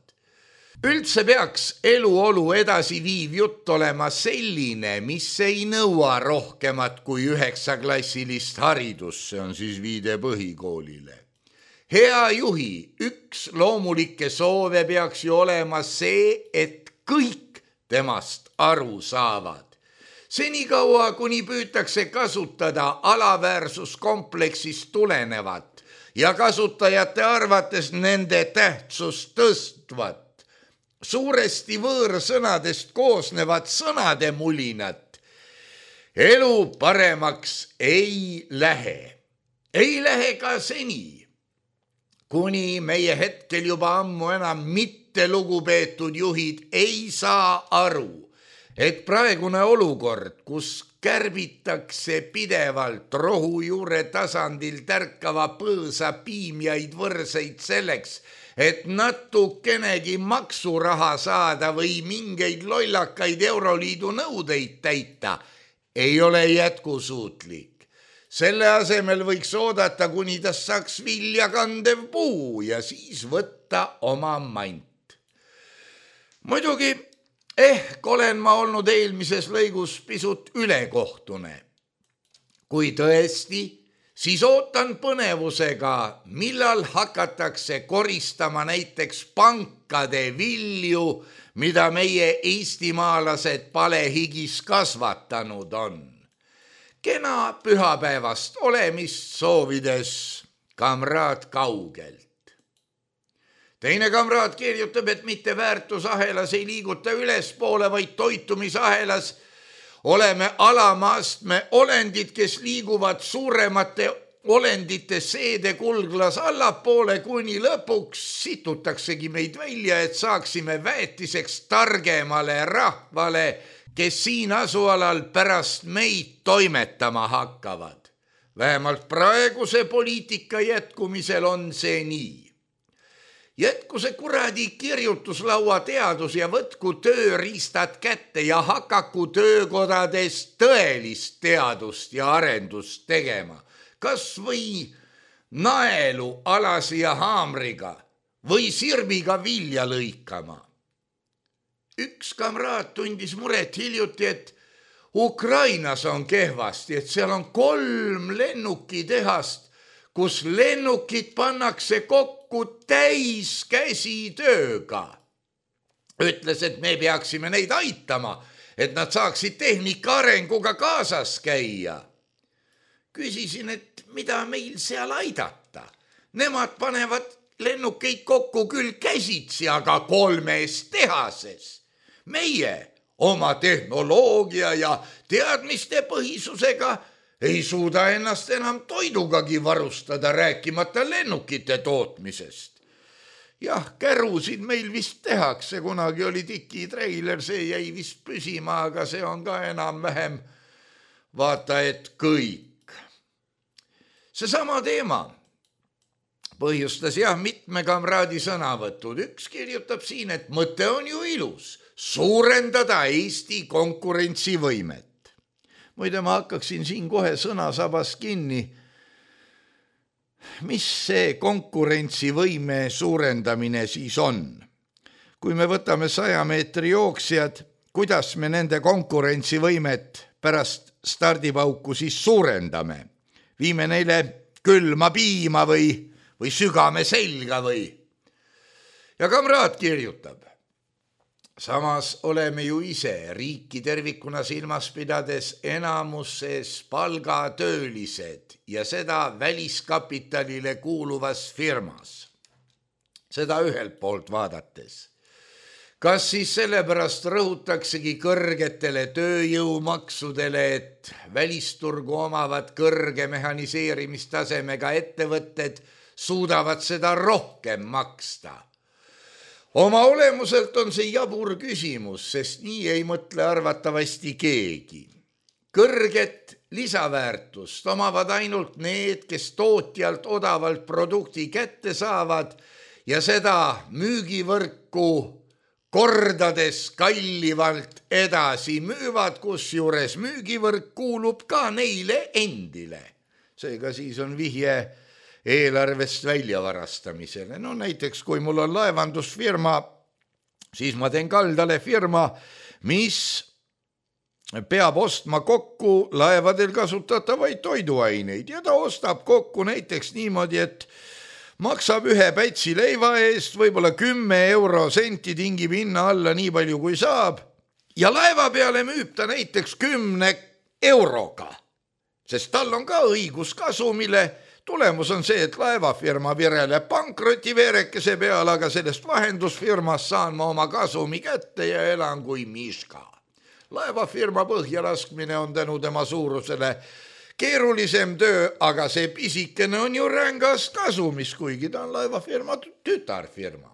Üldse peaks eluolu edasi viiv jutt olema selline, mis ei nõua rohkemat kui üheksaklassilist haridust, see on siis viide põhikoolile. hea juhi üks loomulikke soove peaks ju olema see, et kõik temast aru saavad. Senikaua, kuni püütakse kasutada alaväärsuskompleksist tulenevat ja kasutajate arvates nende tähtsust tõstvat, suuresti võõrsõnadest koosnevat sõnade mulinat, elu paremaks ei lähe. Ei lähe ka seni, kuni meie hetkel juba ammu enam mitte lugupeetud juhid ei saa aru, et praegune olukord, kus kärbitakse pidevalt rohujuure tasandil tärkava põõsa piimjaid võrseid selleks, et natukenegi maksuraha saada või mingeid lollakaid Euroliidu nõudeid täita, ei ole jätkusuutlik. Selle asemel võiks oodata, kuni tas saaks vilja kandev puu ja siis võtta oma mant. Muidugi, ehk olen ma olnud eelmises lõigus pisut ülekohtune. Kui tõesti, siis ootan põnevusega, millal hakatakse koristama näiteks pankade vilju, mida meie eestimaalased palehigis kasvatanud on. Kena pühapäevast olemist soovides kamraad kaugelt. Teine kamraad kirjutab, et mitte väärtusahelas ei liiguta ülespoole, vaid toitumisahelas oleme alamaastme olendid, kes liiguvad suuremate olendite seede kulglas allapoole, kuni lõpuks situtaksegi meid välja, et saaksime väetiseks targemale rahvale, kes siin asualal pärast meid toimetama hakkavad. Vähemalt praeguse poliitika jätkumisel on see nii. Jätku see kuradi kirjutuslaua teadus ja võtku tööriistad kätte ja hakaku töökodades tõelist teadust ja arendust tegema. Kas või naelu alasi ja haamriga või sirbiga vilja lõikama. Üks kamraad tundis muret hiljuti, et Ukrainas on kehvasti, et seal on kolm lennukitehast, kus lennukid pannakse kokku täis käsitööga. Ütles, et me peaksime neid aitama, et nad saaksid tehnika arenguga kaasas käia. Küsisin, et mida meil seal aidata. Nemad panevad lennukeid kokku küll käsitsi, aga kolmes tehases. Meie oma tehnoloogia ja teadmiste põhisusega ei suuda ennast enam toidugagi varustada, rääkimata lennukite tootmisest. Jah, kärusid meil vist tehakse, kunagi oli tiki treiler, see jäi vist püsima, aga see on ka enam vähem vaata, et kõik. Seesama teema põhjustas jah mitme kamraadi sõnavõtud. Üks kirjutab siin, et mõte on ju ilus, suurendada Eesti konkurentsivõimet. Muide, ma hakkaksin siin kohe sõnasabas kinni. Mis see konkurentsivõime suurendamine siis on? Kui me võtame saja meetri jooksjad, kuidas me nende konkurentsivõimet pärast stardipauku siis suurendame? Viime neile külma piima või, või sügame selga või? Ja kamraad kirjutab. Samas oleme ju ise riiki tervikuna silmas pidades enamuses palgatöölised ja seda väliskapitalile kuuluvas firmas. Seda ühelt poolt vaadates. Kas siis sellepärast rõhutaksegi kõrgetele tööjõumaksudele, et välisturgu omavad kõrge mehaniseerimistasemega ettevõtted suudavad seda rohkem maksta? Oma olemuselt on see jabur küsimus, sest nii ei mõtle arvatavasti keegi. Kõrget lisaväärtust omavad ainult need, kes tootjalt odavalt produkti kätte saavad ja seda müügivõrku kordades kallivalt edasi müüvad, kusjuures müügivõrk kuulub ka neile endile. Seega siis on vihje eelarvest väljavarastamisele. No näiteks, kui mul on laevandusfirma, siis ma teen kaldale firma, mis peab ostma kokku laevadel kasutatavaid toiduaineid ja ta ostab kokku näiteks niimoodi, et maksab ühe pätsi leiva eest võib-olla kümme euro senti, tingib hinna alla nii palju kui saab ja laeva peale müüb ta näiteks kümne euroga, sest tal on ka õigus kasumile. Tulemus on see, et laevafirma vireleb pankroti veerekese peal, aga sellest vahendusfirmas saan ma oma kasumi kätte ja elan kui miska. Laevafirma põhja laskmine on tänu tema suurusele keerulisem töö, aga see pisikene on ju rängas kasumis, kuigi ta on laevafirma tütarfirma.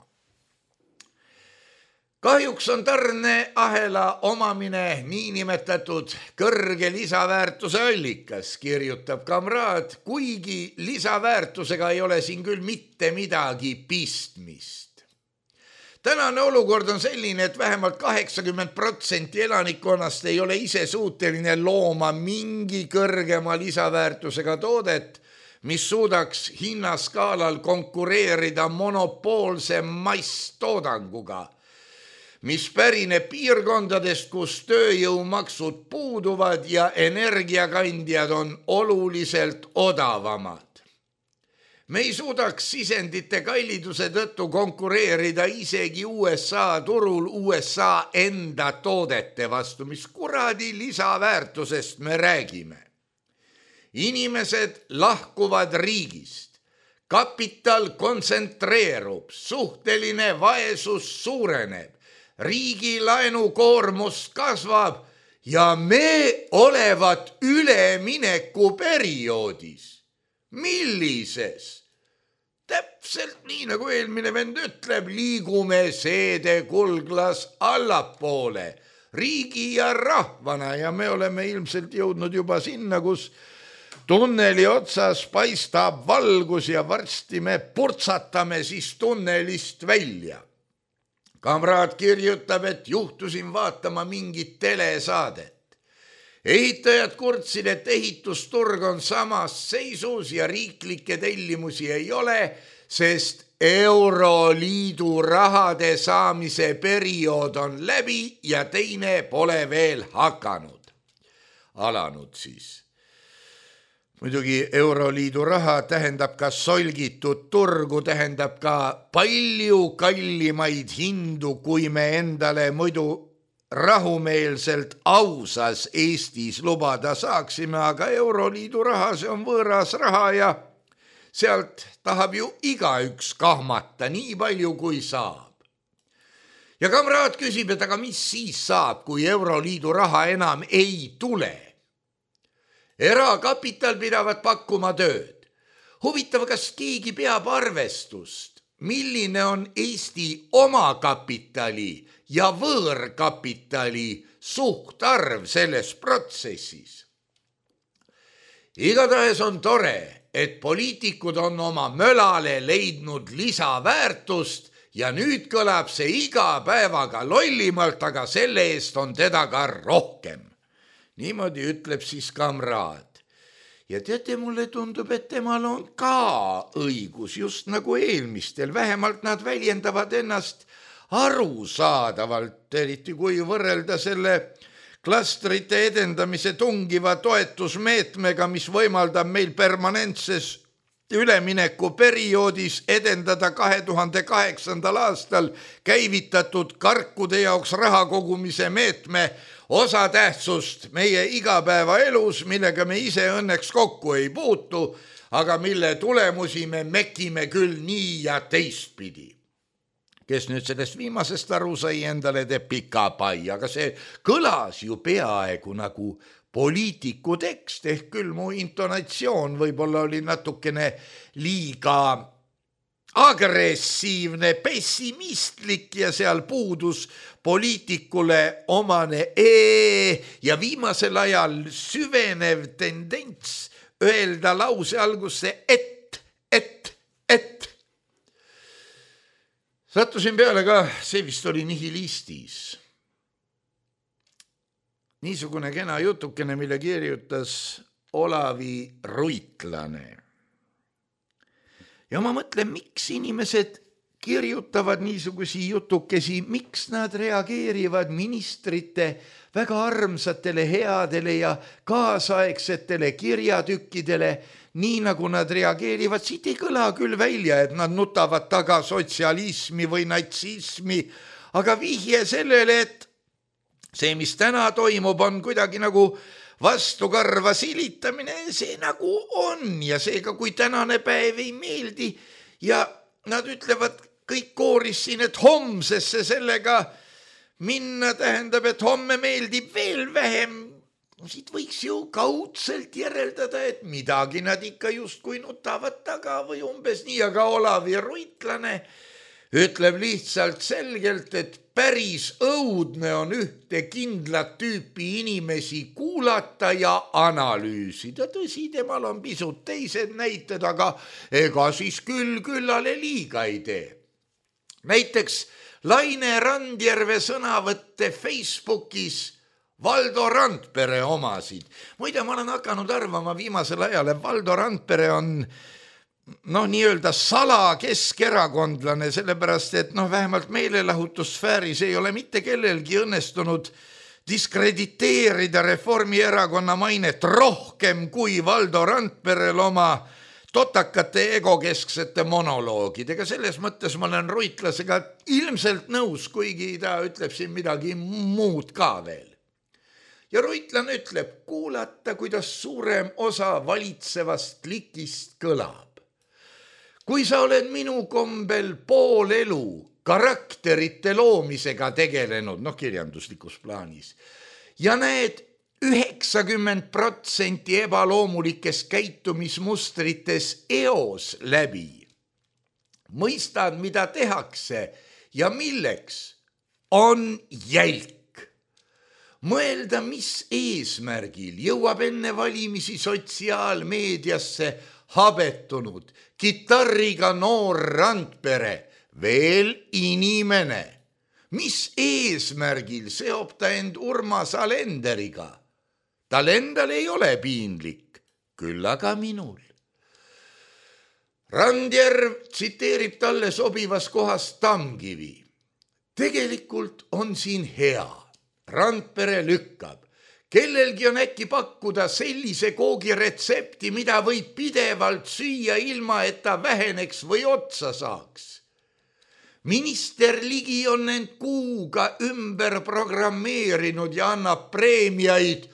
Kahjuks on tarneahela omamine niinimetatud kõrge lisaväärtuse allikas, kirjutab kamraad, kuigi lisaväärtusega ei ole siin küll mitte midagi pistmist. Tänane olukord on selline, et vähemalt kaheksakümmend protsenti elanikkonnast ei ole ise suuteline looma mingi kõrgema lisaväärtusega toodet, mis suudaks hinnaskaalal konkureerida monopoolse masstoodanguga, mis pärineb piirkondadest, kus tööjõumaksud puuduvad ja energiakandjad on oluliselt odavamad. Me ei suudaks sisendite kalliduse tõttu konkureerida isegi U S A turul U S A enda toodete vastu, mis kuradi lisaväärtusest me räägime. Inimesed lahkuvad riigist, kapital kontsentreerub, suhteline vaesus suureneb, riigi laenukoormus kasvab ja me olevat ülemineku perioodis. Millises? Täpselt nii, nagu eelmine vend ütleb, liigume seede kulglas allapoole, riigi ja rahvana ja me oleme ilmselt jõudnud juba sinna, kus tunneli otsas paistab valgus ja varsti me purtsatame siis tunnelist välja. Kamraad kirjutab, et juhtusin vaatama mingit telesaadet. Ehitajad kurtsid, et ehitusturg on samas seisus ja riiklikke tellimusi ei ole, sest Euroliidu rahade saamise periood on läbi ja teine pole veel hakanud. Alanud siis. Muidugi Euroliidu raha tähendab ka solgitud turgu, tähendab ka palju kallimaid hindu, kui me endale muidu rahumeelselt ausas Eestis lubada saaksime, aga Euroliidu raha, see on võõras raha ja sealt tahab ju igaüks kahmata nii palju kui saab. Ja kamraad küsib, et aga mis siis saab, kui Euroliidu raha enam ei tule? Erakapital pidavat pakkuma tööd. Huvitav, kas keegi peab arvestust, milline on Eesti omakapitali ja võõrkapitali suhtarv selles protsessis. Igatahes on tore, et poliitikud on oma mölale leidnud lisaväärtust ja nüüd kõlab see iga päevaga lollimalt, aga selle eest on teda ka rohkem. Niimoodi ütleb siis kamraad. Ja teate, mulle tundub, et temal on ka õigus, just nagu eelmistel. Vähemalt nad väljendavad ennast arusaadavalt, eriti kui võrrelda selle klastrite edendamise tungiva toetusmeetmega, mis võimaldab meil permanentses ülemineku perioodis edendada kahe tuhande kaheksandal aastal käivitatud karkude jaoks raha kogumise meetme osatähtsust meie igapäevaelus, millega me ise õnneks kokku ei puutu, aga mille tulemusi me mekime küll nii ja teistpidi. Kes nüüd sellest viimasest aru sai, endale teeb pika pai, aga see kõlas ju peaaegu nagu poliitiku tekst, ehk küll mu intonatsioon võib-olla oli natukene liiga agressiivne, pessimistlik ja seal puudus poliitikule omane e ja viimasel ajal süvenev tendents öelda lause algusse et, et, et. Sattusin peale ka, see vist oli Nihilistis. Niisugune kena jutukene, mille kirjutas Olavi Ruitlane. Ja ma mõtlen, miks inimesed kirjutavad niisugusi jutukesi, miks nad reageerivad ministrite väga armsatele, headele ja kaasaegsetele kirjatükkidele nii nagu nad reageerivad, siit ei kõla küll välja, et nad nutavad taga sotsialismi või natsismi, aga vihje sellele, et see, mis täna toimub, on kuidagi nagu vastukarva silitamine, see nagu on ja seega, kui tänane päev ei meeldi ja nad ütlevad kõik kooris siin, et homsesse sellega minna tähendab, et homme meeldib veel vähem. Siit võiks ju kaudselt järeldada, et midagi nad ikka justkui nutavad taga või umbes nii, aga Olavi Ruitlane ütleb lihtsalt selgelt, et päris õudne on ühte kindlat tüüpi inimesi kuulata ja analüüsida. Tõsi, temal on pisut teised näited, aga ega siis küll küllale liiga ei tee. Näiteks Laine Randjärve sõnavõtte Facebookis Valdo Randpere omasid. Muide, ma olen hakanud arvama viimasel ajal, et Valdo Randpere on noh, nii-öelda sala keskerakondlane, sellepärast, et noh, vähemalt meelelahutussfääris ei ole mitte kellelgi õnnestunud diskrediteerida Reformierakonna mainet rohkem kui Valdo Randperel oma totakate egokesksete monoloogidega. Selles mõttes ma olen Ruitlasega ilmselt nõus, kuigi ta ütleb siin midagi muud ka veel. Ja Ruitlane ütleb, kuulata, kuidas suurem osa valitsevast klikist kõlab. Kui sa oled minu kombel pool elu karakterite loomisega tegelenud, noh kirjanduslikus plaanis, ja näed üheksakümmend protsenti ebaloomulikes käitumismustrites eos läbi, mõistad, mida tehakse ja milleks, on jälk. Mõelda, mis eesmärgil jõuab enne valimisi sotsiaalmeediasse habetunud kitarriga noor Randpere, veel inimene. Mis eesmärgil seob ta end Urmas Alenderiga? Tal endal ei ole piinlik, küll aga minul. Randjärv tsiteerib talle sobivas kohas Tamkivi. Tegelikult on siin hea. Randpere lükkab. Kellelgi on äkki pakkuda sellise koogiretsepti, mida võib pidevalt süüa ilma, et ta väheneks või otsa saaks. Minister Ligi on end kuuga ümber programmeerinud ja annab preemiaid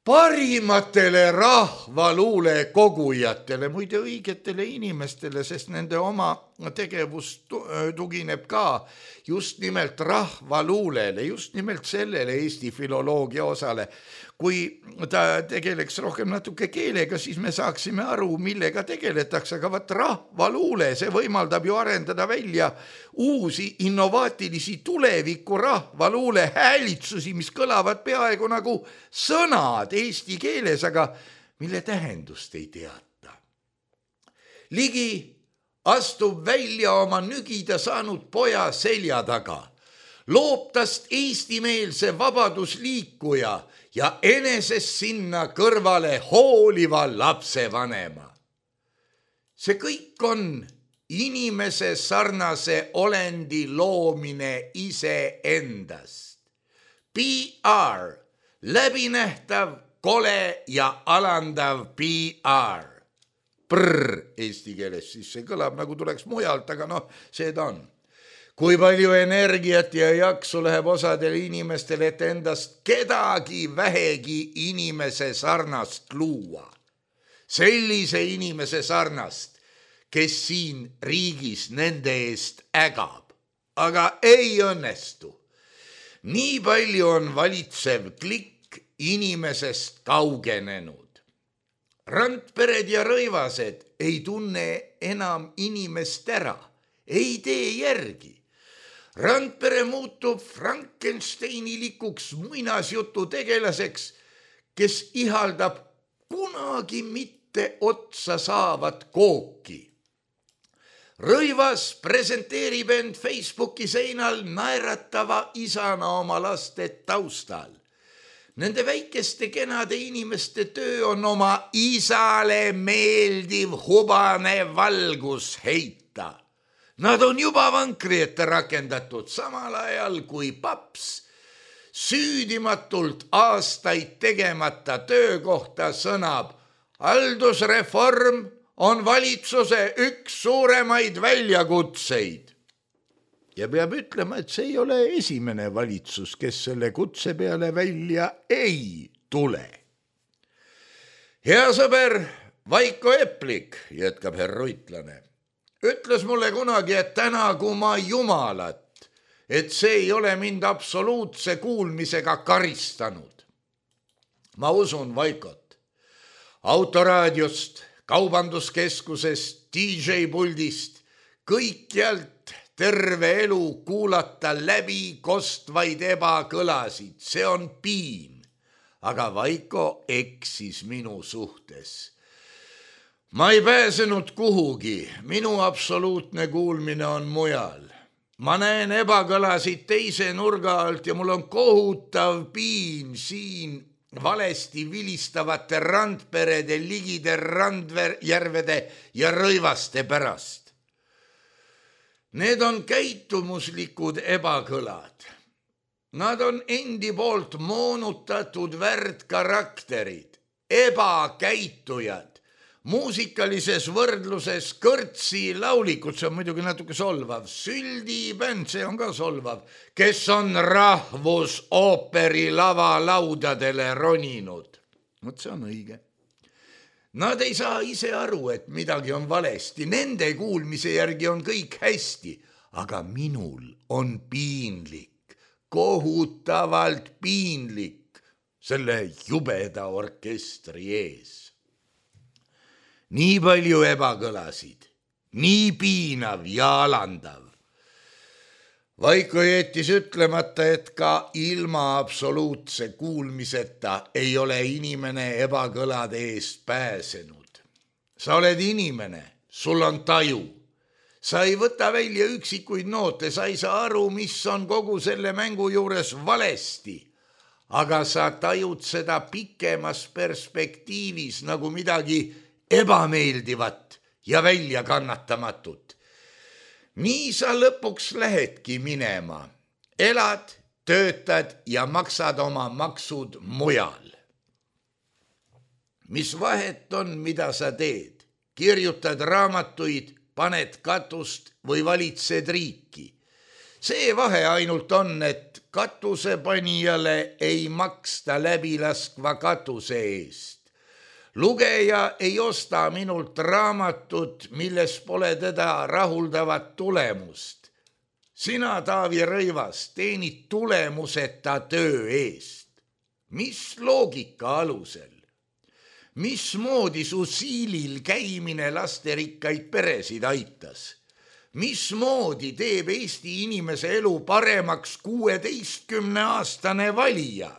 parimatele rahvaluule kogujatele, muide õigetele inimestele, sest nende oma tegevus tugineb ka just nimelt rahvaluulele, just nimelt sellele Eesti filoloogia osale. Kui ta tegeleks rohkem natuke keelega, siis me saaksime aru, millega tegeletakse, aga vaat rahvaluule, see võimaldab ju arendada välja uusi innovaatilisi tuleviku rahvaluule häälitsusi, mis kõlavad peaaegu nagu sõnad eesti keeles, aga mille tähendust ei teata. Ligi astub välja oma nügida saanud poja selja taga, loob tast eestimeelse vabadusliikuja ja enesest sinna kõrvale hooliva lapsevanema. See kõik on inimese sarnase olendi loomine iseendast. P R, läbinähtav, kole ja alandav P R. Prr eesti keeles, siis see kõlab nagu tuleks mujalt, aga noh, see ta on. Kui palju energiat ja jaksu läheb osadel inimestel, et endast kedagi vähegi inimese sarnast luua. Sellise inimese sarnast, kes siin riigis nende eest ägab, aga ei õnnestu. Nii palju on valitsev klikk inimesest kaugenenud. Randpered ja Rõivased ei tunne enam inimest ära, ei tee järgi. Randpere muutub Frankensteinilikuks muinasjutu tegelaseks, kes ihaldab kunagi mitte otsa saavat kooki. Rõivas presenteerib end Facebooki seinal naeratava isana oma laste taustal. Nende väikeste kenade inimeste töö on oma isale meeldiv hubane valgus heita. Nad on juba vankri ette rakendatud samal ajal kui paps süüdimatult aastaid tegemata töökohta sõnab haldusreform on valitsuse üks suuremaid väljakutseid. Ja peab ütlema, et see ei ole esimene valitsus, kes selle kutse peale välja ei tule. Hea sõber Vaiko Eplik, jätkab herr Ruitlane, ütles mulle kunagi, et tänagu ma jumalat, et see ei ole mind absoluutse kuulmisega karistanud. Ma usun Vaikot. Autoraadiost, kaubanduskeskusest, D J puldist, kõikjalt terve elu kuulata läbi kostvaid ebakõlasid. See on piin, aga Vaiko eksis minu suhtes. Ma ei pääsenud kuhugi, minu absoluutne kuulmine on mujal. Ma näen ebakõlasid teise nurga alt ja mul on kohutav piin siin valesti vilistavate randperede, ligide randjärvede ja rõivaste pärast. Need on käitumuslikud ebakõlad. Nad on endi poolt moonutatud värdkarakterid, ebakäitujad. Muusikalises võrdluses kõrtsi laulikud, see on muidugi natuke solvav, süldibänd, see on ka solvav, kes on rahvusooperi lavalaudadele roninud. Mõt see on õige. Nad ei saa ise aru, et midagi on valesti. Nende kuulmise järgi on kõik hästi, aga minul on piinlik, kohutavalt piinlik selle jubeda orkestri ees. Nii palju ebakõlasid, nii piinav ja alandav. Vaiko jättis ütlemata, et ka ilma absoluutse kuulmiseta ei ole inimene ebakõlade eest pääsenud. Sa oled inimene, sul on taju. Sa ei võta välja üksikuid noote, sa ei saa aru, mis on kogu selle mängu juures valesti. Aga sa tajud seda pikemas perspektiivis nagu midagi ebameeldivat ja väljakannatamatut. Nii sa lõpuks lähedki minema. Elad, töötad ja maksad oma maksud mujal. Mis vahet on, mida sa teed? Kirjutad raamatuid, paned katust või valitsed riiki. See vahe ainult on, et katusepanijale ei maksta läbilaskva katuse eest. Lugeja ei osta minult raamatut, milles pole teda rahuldavat tulemust. Sina, Taavi Rõivas, teenid tulemuseta töö eest. Mis loogika alusel? Mismoodi su siilil käimine lasterikkaid peresid aitas? Mismoodi teeb Eesti inimese elu paremaks kuueteistkümne aastane valija?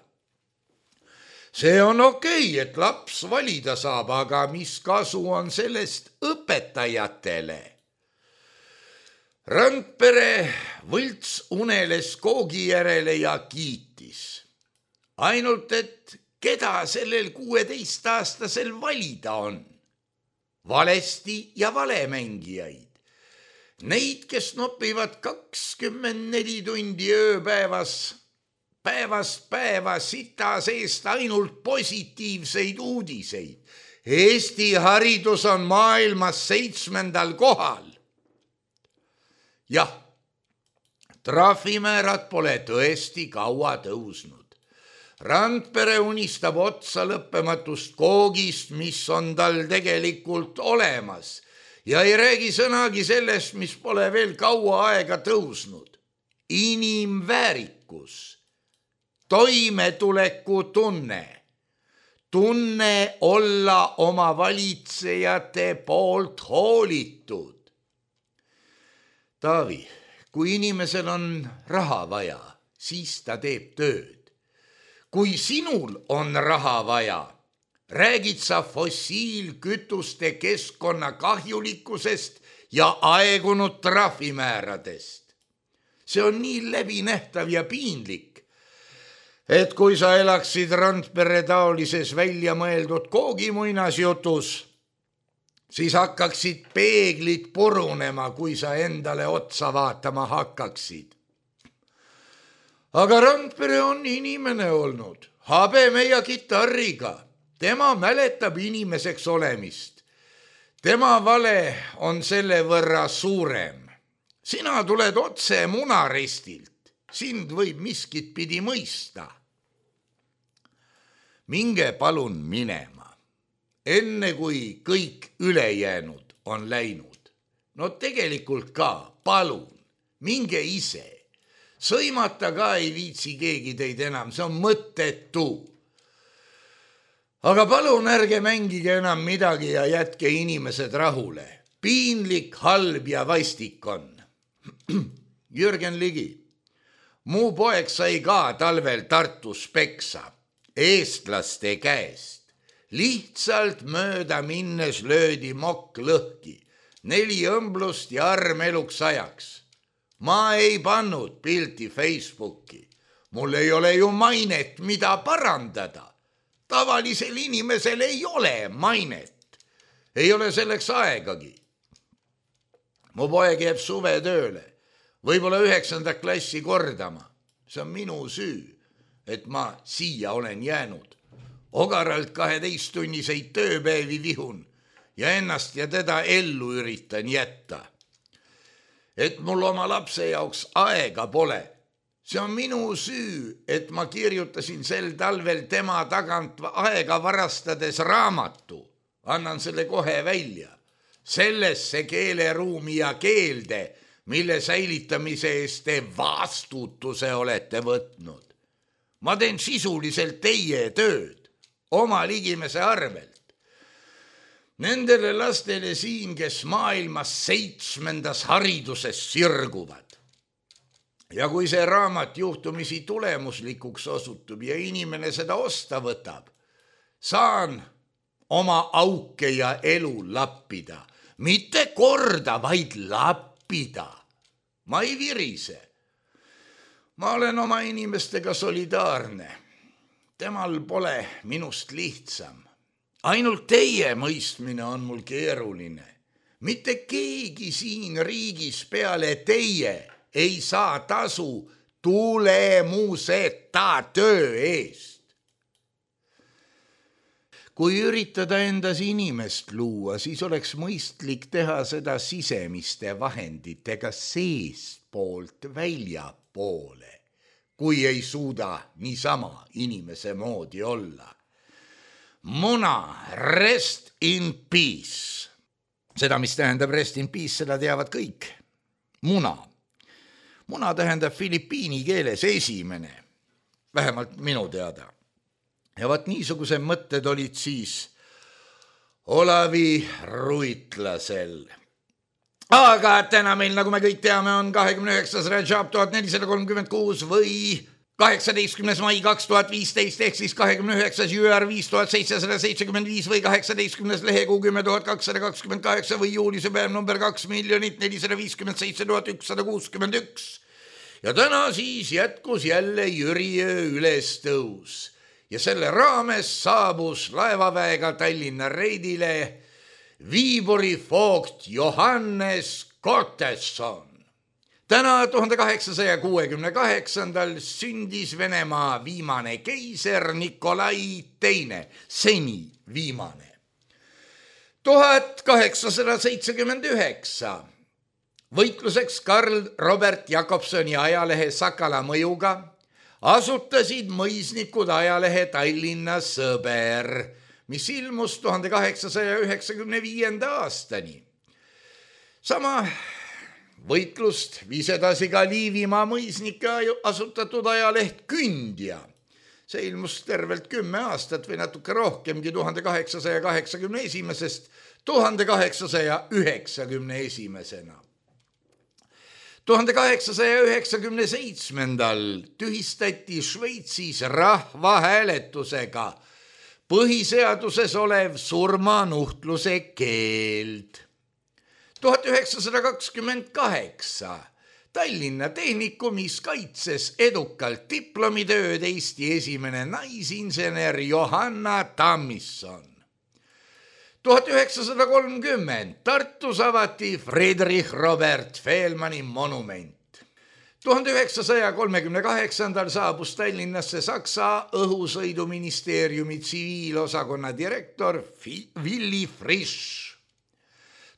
See on okei, et laps valida saab, aga mis kasu on sellest õpetajatele? Randpere võlts uneles koogi järele ja kiitis. Ainult, et keda sellel kuueteistaastasel valida on? Valesti ja valemängijaid. Neid, kes nopivad kakskümmend neli tundi ööpäevas, päevast päeva sita seest ainult positiivseid uudiseid. Eesti haridus on maailmas seitsmendal kohal. Jah, trahvimäärad pole tõesti kaua tõusnud. Randpere unistab otsa lõppematust koogist, mis on tal tegelikult olemas ja ei räägi sõnagi sellest, mis pole veel kaua aega tõusnud. Inimväärikus. Toimetuleku tunne, tunne olla oma valitsejate poolt hoolitud. Taavi, kui inimesel on raha vaja, siis ta teeb tööd. Kui sinul on raha vaja, räägid sa fossiilkütuste keskkonna kahjulikkusest ja aegunud trahvimääradest. See on nii läbinähtav ja piinlik, et kui sa elaksid Randpere taolises välja mõeldud koogimuinasjutus, siis hakkaksid peeglid purunema, kui sa endale otsa vaatama hakkaksid. Aga Randpere on inimene olnud, habeme ja kitarriga. tema mäletab inimeseks olemist. Tema vale on selle võrra suurem. Sina tuled otse munarestilt, sind võib miskit pidi mõista. Minge palun minema, enne kui kõik ülejäänud on läinud. No tegelikult ka, palun, minge ise. Sõimata ka ei viitsi keegi teid enam, see on mõttetu. Aga palun ärge mängige enam midagi ja jätke inimesed rahule. Piinlik, halb ja vastik on. Jürgen Ligi, mu poeg sai ka talvel Tartus peksa eestlaste käest. Lihtsalt mööda minnes löödi mokk lõhki, neli õmblust ja arm eluks ajaks. Ma ei pannud pilti Facebooki. Mul ei ole ju mainet, mida parandada. Tavalisel inimesel ei ole mainet. Ei ole selleks aegagi. Mu poeg jääb suve tööle, võib-olla üheksanda klassi kordama. See on minu süü, et ma siia olen jäänud. Ogaralt kaheteisttunniseid tööpäevi vihun ja ennast ja teda ellu üritan jätta. Et mul oma lapse jaoks aega pole. See on minu süü, et ma kirjutasin sel talvel tema tagant aega varastades raamatu. Annan selle kohe välja. Sellesse keeleruumi ja keelde, mille säilitamise eest te vastutuse olete võtnud. Ma teen sisuliselt teie tööd, oma ligimese arvelt. Nendele lastele siin, kes maailmas seitsmendas hariduses sirguvad. Ja kui see raamat juhtumisi tulemuslikuks osutub ja inimene seda osta võtab, saan oma auke ja elu lappida. Mitte korda, vaid lappida. Ma ei virise. Ma olen oma inimestega solidaarne. Temal pole minust lihtsam. Ainult teie mõistmine on mul keeruline. Mitte keegi siin riigis peale teie ei saa tasu tulemuseta töö eest. Kui üritada endas inimest luua, siis oleks mõistlik teha seda sisemiste vahenditega seestpoolt väljapoole, kui ei suuda niisama inimese moodi olla. Muna, rest in peace. Seda, mis tähendab rest in peace, seda teavad kõik. Muna. Muna tähendab filipiini keeles esimene, vähemalt minu teada. Ja vaat niisuguse mõtted olid siis Olavi Ruitlasel. Aga täna meil, nagu me kõik teame, on kahekümne üheksas Rajab tuhat nelisada kolmkümmend kuus või kaheksateistkümnes mai kaks tuhat viisteist ehk siis kahekümne üheksas jüär viis tuhat seitsesada seitsekümmend viis või kaheksateistkümnes lehekuu kümme tuhat kakssada kakskümmend kaheksa või juulise päev number kaks miljonit nelisada viiskümmend seitse tuhat ükssada kuuskümmend üks. Ja täna siis jätkus jälle Jüriöö ülestõus. Ja selle raames saabus laevaväega Tallinna reidile Viiburi foogt Johannes Kottesson. Täna tuhande kaheksasaja kuuekümne kaheksandal sündis Venemaa viimane keiser Nikolai teine, seni viimane. tuhat kaheksasada seitsekümmend üheksa võitluseks Karl Robert Jakobsoni ajalehe Sakala mõjuga asutasid mõisnikud ajalehe Tallinna Sõber, mis ilmus tuhande kaheksasaja üheksakümne viienda aastani. Sama võitlust viis edasi ka Liivimaa mõisnike asutatud ajaleht Kündja. See ilmus tervelt kümme aastat või natuke rohkemgi tuhande kaheksasaja kaheksakümne esimesest tuhande kaheksasaja üheksakümne esimesena. tuhande kaheksasaja üheksakümne seitsmendal tühistati Šveitsis rahvahääletusega põhiseaduses olev surmanuhtluse keeld. tuhat üheksasada kakskümmend kaheksa Tallinna Tehnikumis kaitses edukalt diplomitööd Eesti esimene naisinsener Johanna Tammisson. tuhat üheksasada kolmkümmend Tartus avati Friedrich Robert Fehlmanni monument. tuhande üheksasaja kolmekümne kaheksandal saabus Tallinnasse Saksa õhusõiduministeeriumi tsiviilosakonna direktor Willy Frisch.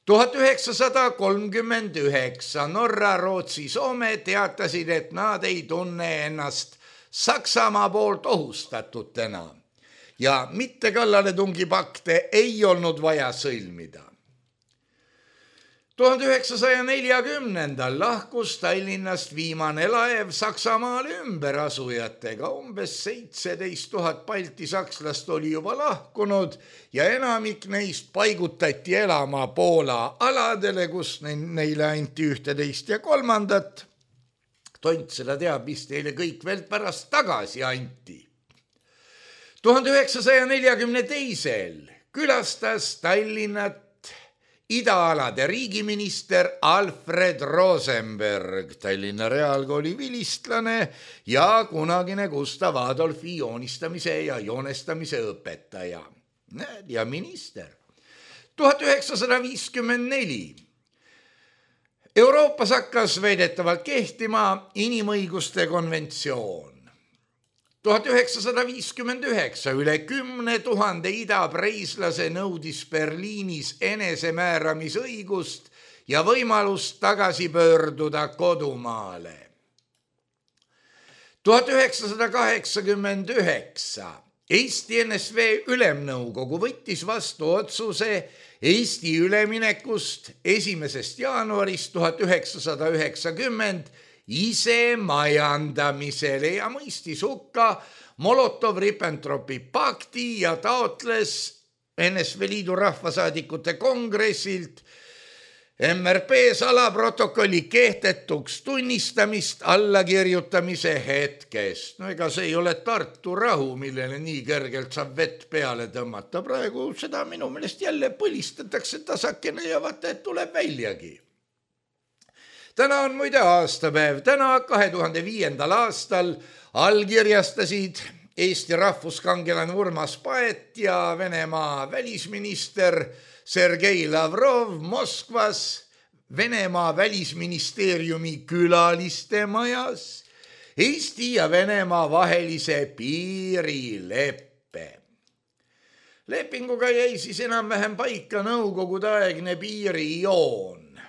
tuhat üheksasada kolmkümmend üheksa Norra, Rootsi, Soome teatasid, et nad ei tunne ennast Saksamaa poolt ohustatutena ja mitte kallaletungipakte ei olnud vaja sõlmida. tuhande üheksasaja neljakümnendal lahkus Tallinnast viimane laev Saksamaale ümberasujatega. Umbes seitseteist tuhat balti sakslast oli juba lahkunud ja enamik neist paigutati elama Poola aladele, kus neile anti ühteteist ja kolmandat. Tont seda teab, mis teile kõik veel pärast tagasi anti. tuhande üheksasaja neljakümne teisel külastas Tallinnat idaalade riigiminister Alfred Rosenberg, Tallinna Reaalkooli vilistlane ja kunagine Gustav Adolfi joonistamise ja joonestamise õpetaja ja minister. tuhat üheksasada viiskümmend neli Euroopas hakkas väidetavalt kehtima inimõiguste konventsioon. tuhat üheksasada viiskümmend üheksa üle kümne tuhande idapreislase nõudis Berliinis enesemääramisõigust ja võimalust tagasi pöörduda kodumaale. tuhat üheksasada kaheksakümmend üheksa Eesti N S V Ülemnõukogu võttis vastu otsuse Eesti üleminekust esimesest jaanuarist tuhat üheksasada üheksakümmend ise majandamisele ja mõistis hukka Molotov-Ribbentropi pakti ja taotles N S V Liidu rahvasaadikute kongressilt M R P salaprotokolli kehtetuks tunnistamist allakirjutamise hetkest. No ega see ei ole Tartu rahu, millele nii kergelt saab vett peale tõmmata. Praegu seda minu meelest jälle põlistatakse tasakene ja vaata, et tuleb väljagi. Täna on muide aastapäev. Täna kahe tuhande viiendal aastal allkirjastasid Eesti rahvuskangelane Urmas Paet ja Venemaa välisminister Sergei Lavrov Moskvas Venemaa välisministeeriumi külaliste majas Eesti ja Venemaa vahelise piirileppe. Lepinguga jäi siis enam-vähem paika nõukogudeaegne piirijoon.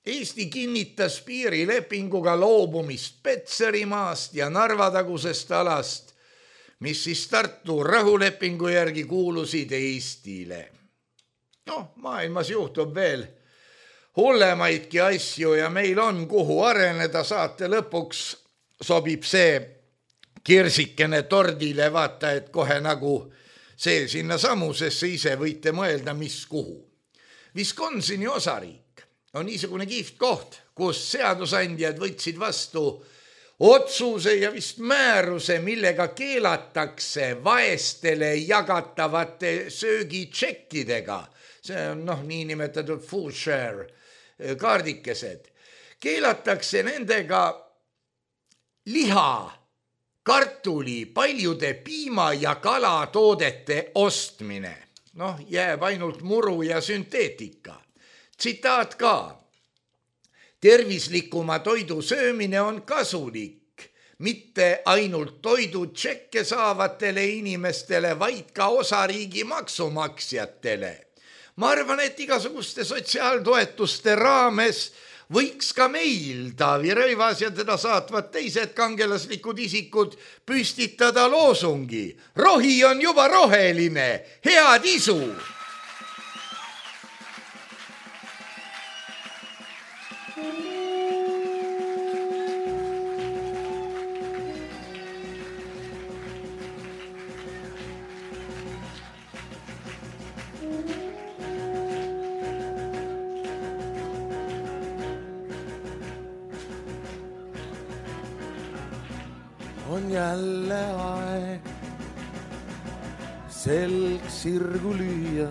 Eesti kinnitas piirilepinguga loobumist Petserimaast ja Narva-tagusest alast, mis siis Tartu rahulepingu järgi kuulusid Eestile. No, maailmas juhtub veel hullemaidki asju ja meil on kuhu areneda. Saate lõpuks sobib see kirsikene tordile, vaata, et kohe nagu see sinna samusesse ise võite mõelda, mis kuhu. Wisconsini osariik on niisugune kihvt koht, kus seadusandjad võtsid vastu otsuse ja vist määruse, millega keelatakse vaestele jagatavate söögitšekkidega. See on noh, niinimetatud food share kaardikesed. Keelatakse nendega liha, kartuli, paljude piima ja kalatoodete ostmine. Noh, jääb ainult muru ja sünteetika. Tsitaat ka. Tervislikuma toidu söömine on kasulik, mitte ainult toidu tšekke saavatele inimestele, vaid ka osariigi maksumaksjatele. Ma arvan, et igasuguste sotsiaaltoetuste raames võiks ka meil, Taavi Rõivas ja teda saatvad teised kangelaslikud isikud, püstitada loosungi. Rohi on juba roheline, head isu! On jälle aeg selg sirgu lüüa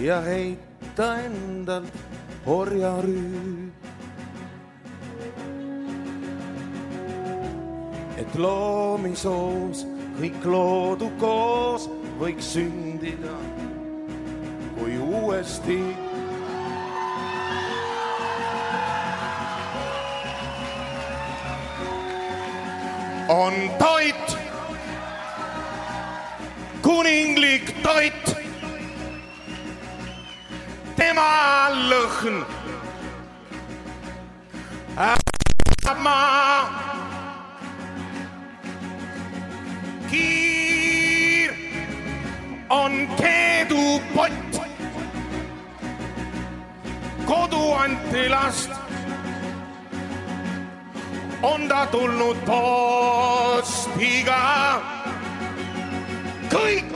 ja heita endalt orjarüü. Et loomisoos kõik loodu koos võiks sündida, kui uuesti lõhn. Ma kiir on keedupott, kodu anti last, on ta tulnud postiga. Kõik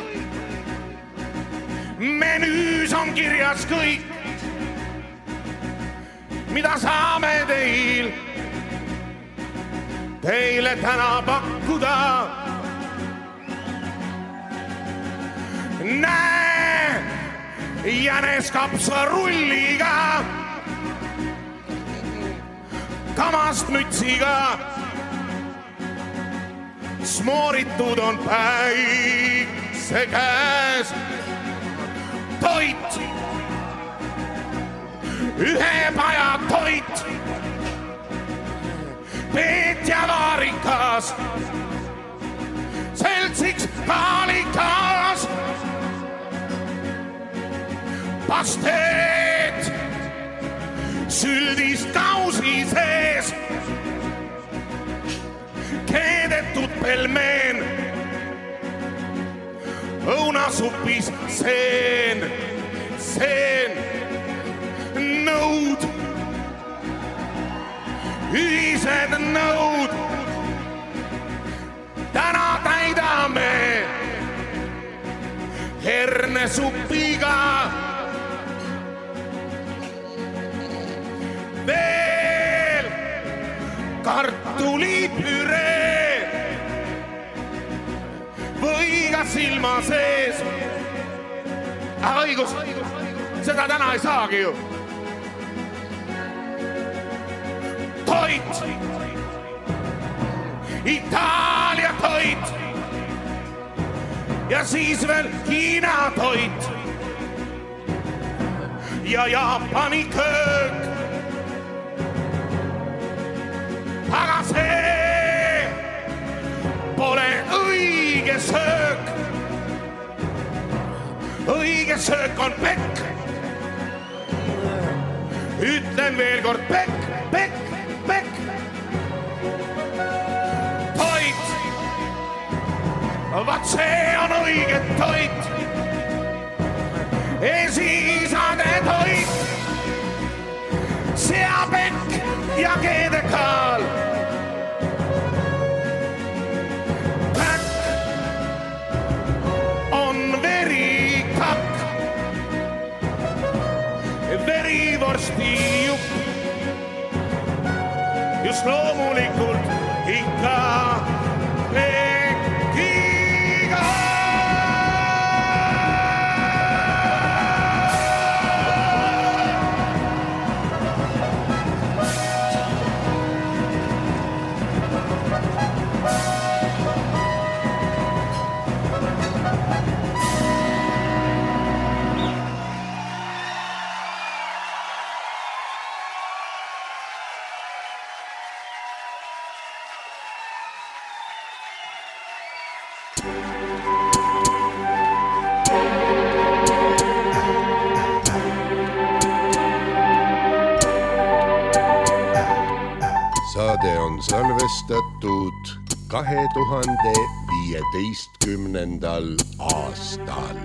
menüüs on kirjas kõik, mida saame teil, teile täna pakkuda. Näe, jänes kapsarulliga, kamast mütsiga, smooritud on päikse käes. Toit, ühe paja toit, Peet ja Vaarikas, seltsiks kaalikas, pasteet, süldist kausi sees, keedetud pelmeen, õunasupis seen, seen, nõud, ühised nõud, täna täidame hernesupiga. Veel kartulipüree või ka silma sees. Aga õigus, seda täna ei saagi ju. Toit, Itaalia toit ja siis veel Hiina toit ja Jaapani köök. Aga see pole õige söök. Õige söök on pekk. Ütlen veel kord pekk, pekk, pekk. Toit, vaat see on õige toit. Esiisade toit, seapekk ja keedekaal. Verivorsti jupp, just loomulikult ikka pekiga. Saade on salvestatud kahe tuhande viieteistkümnendal aastal.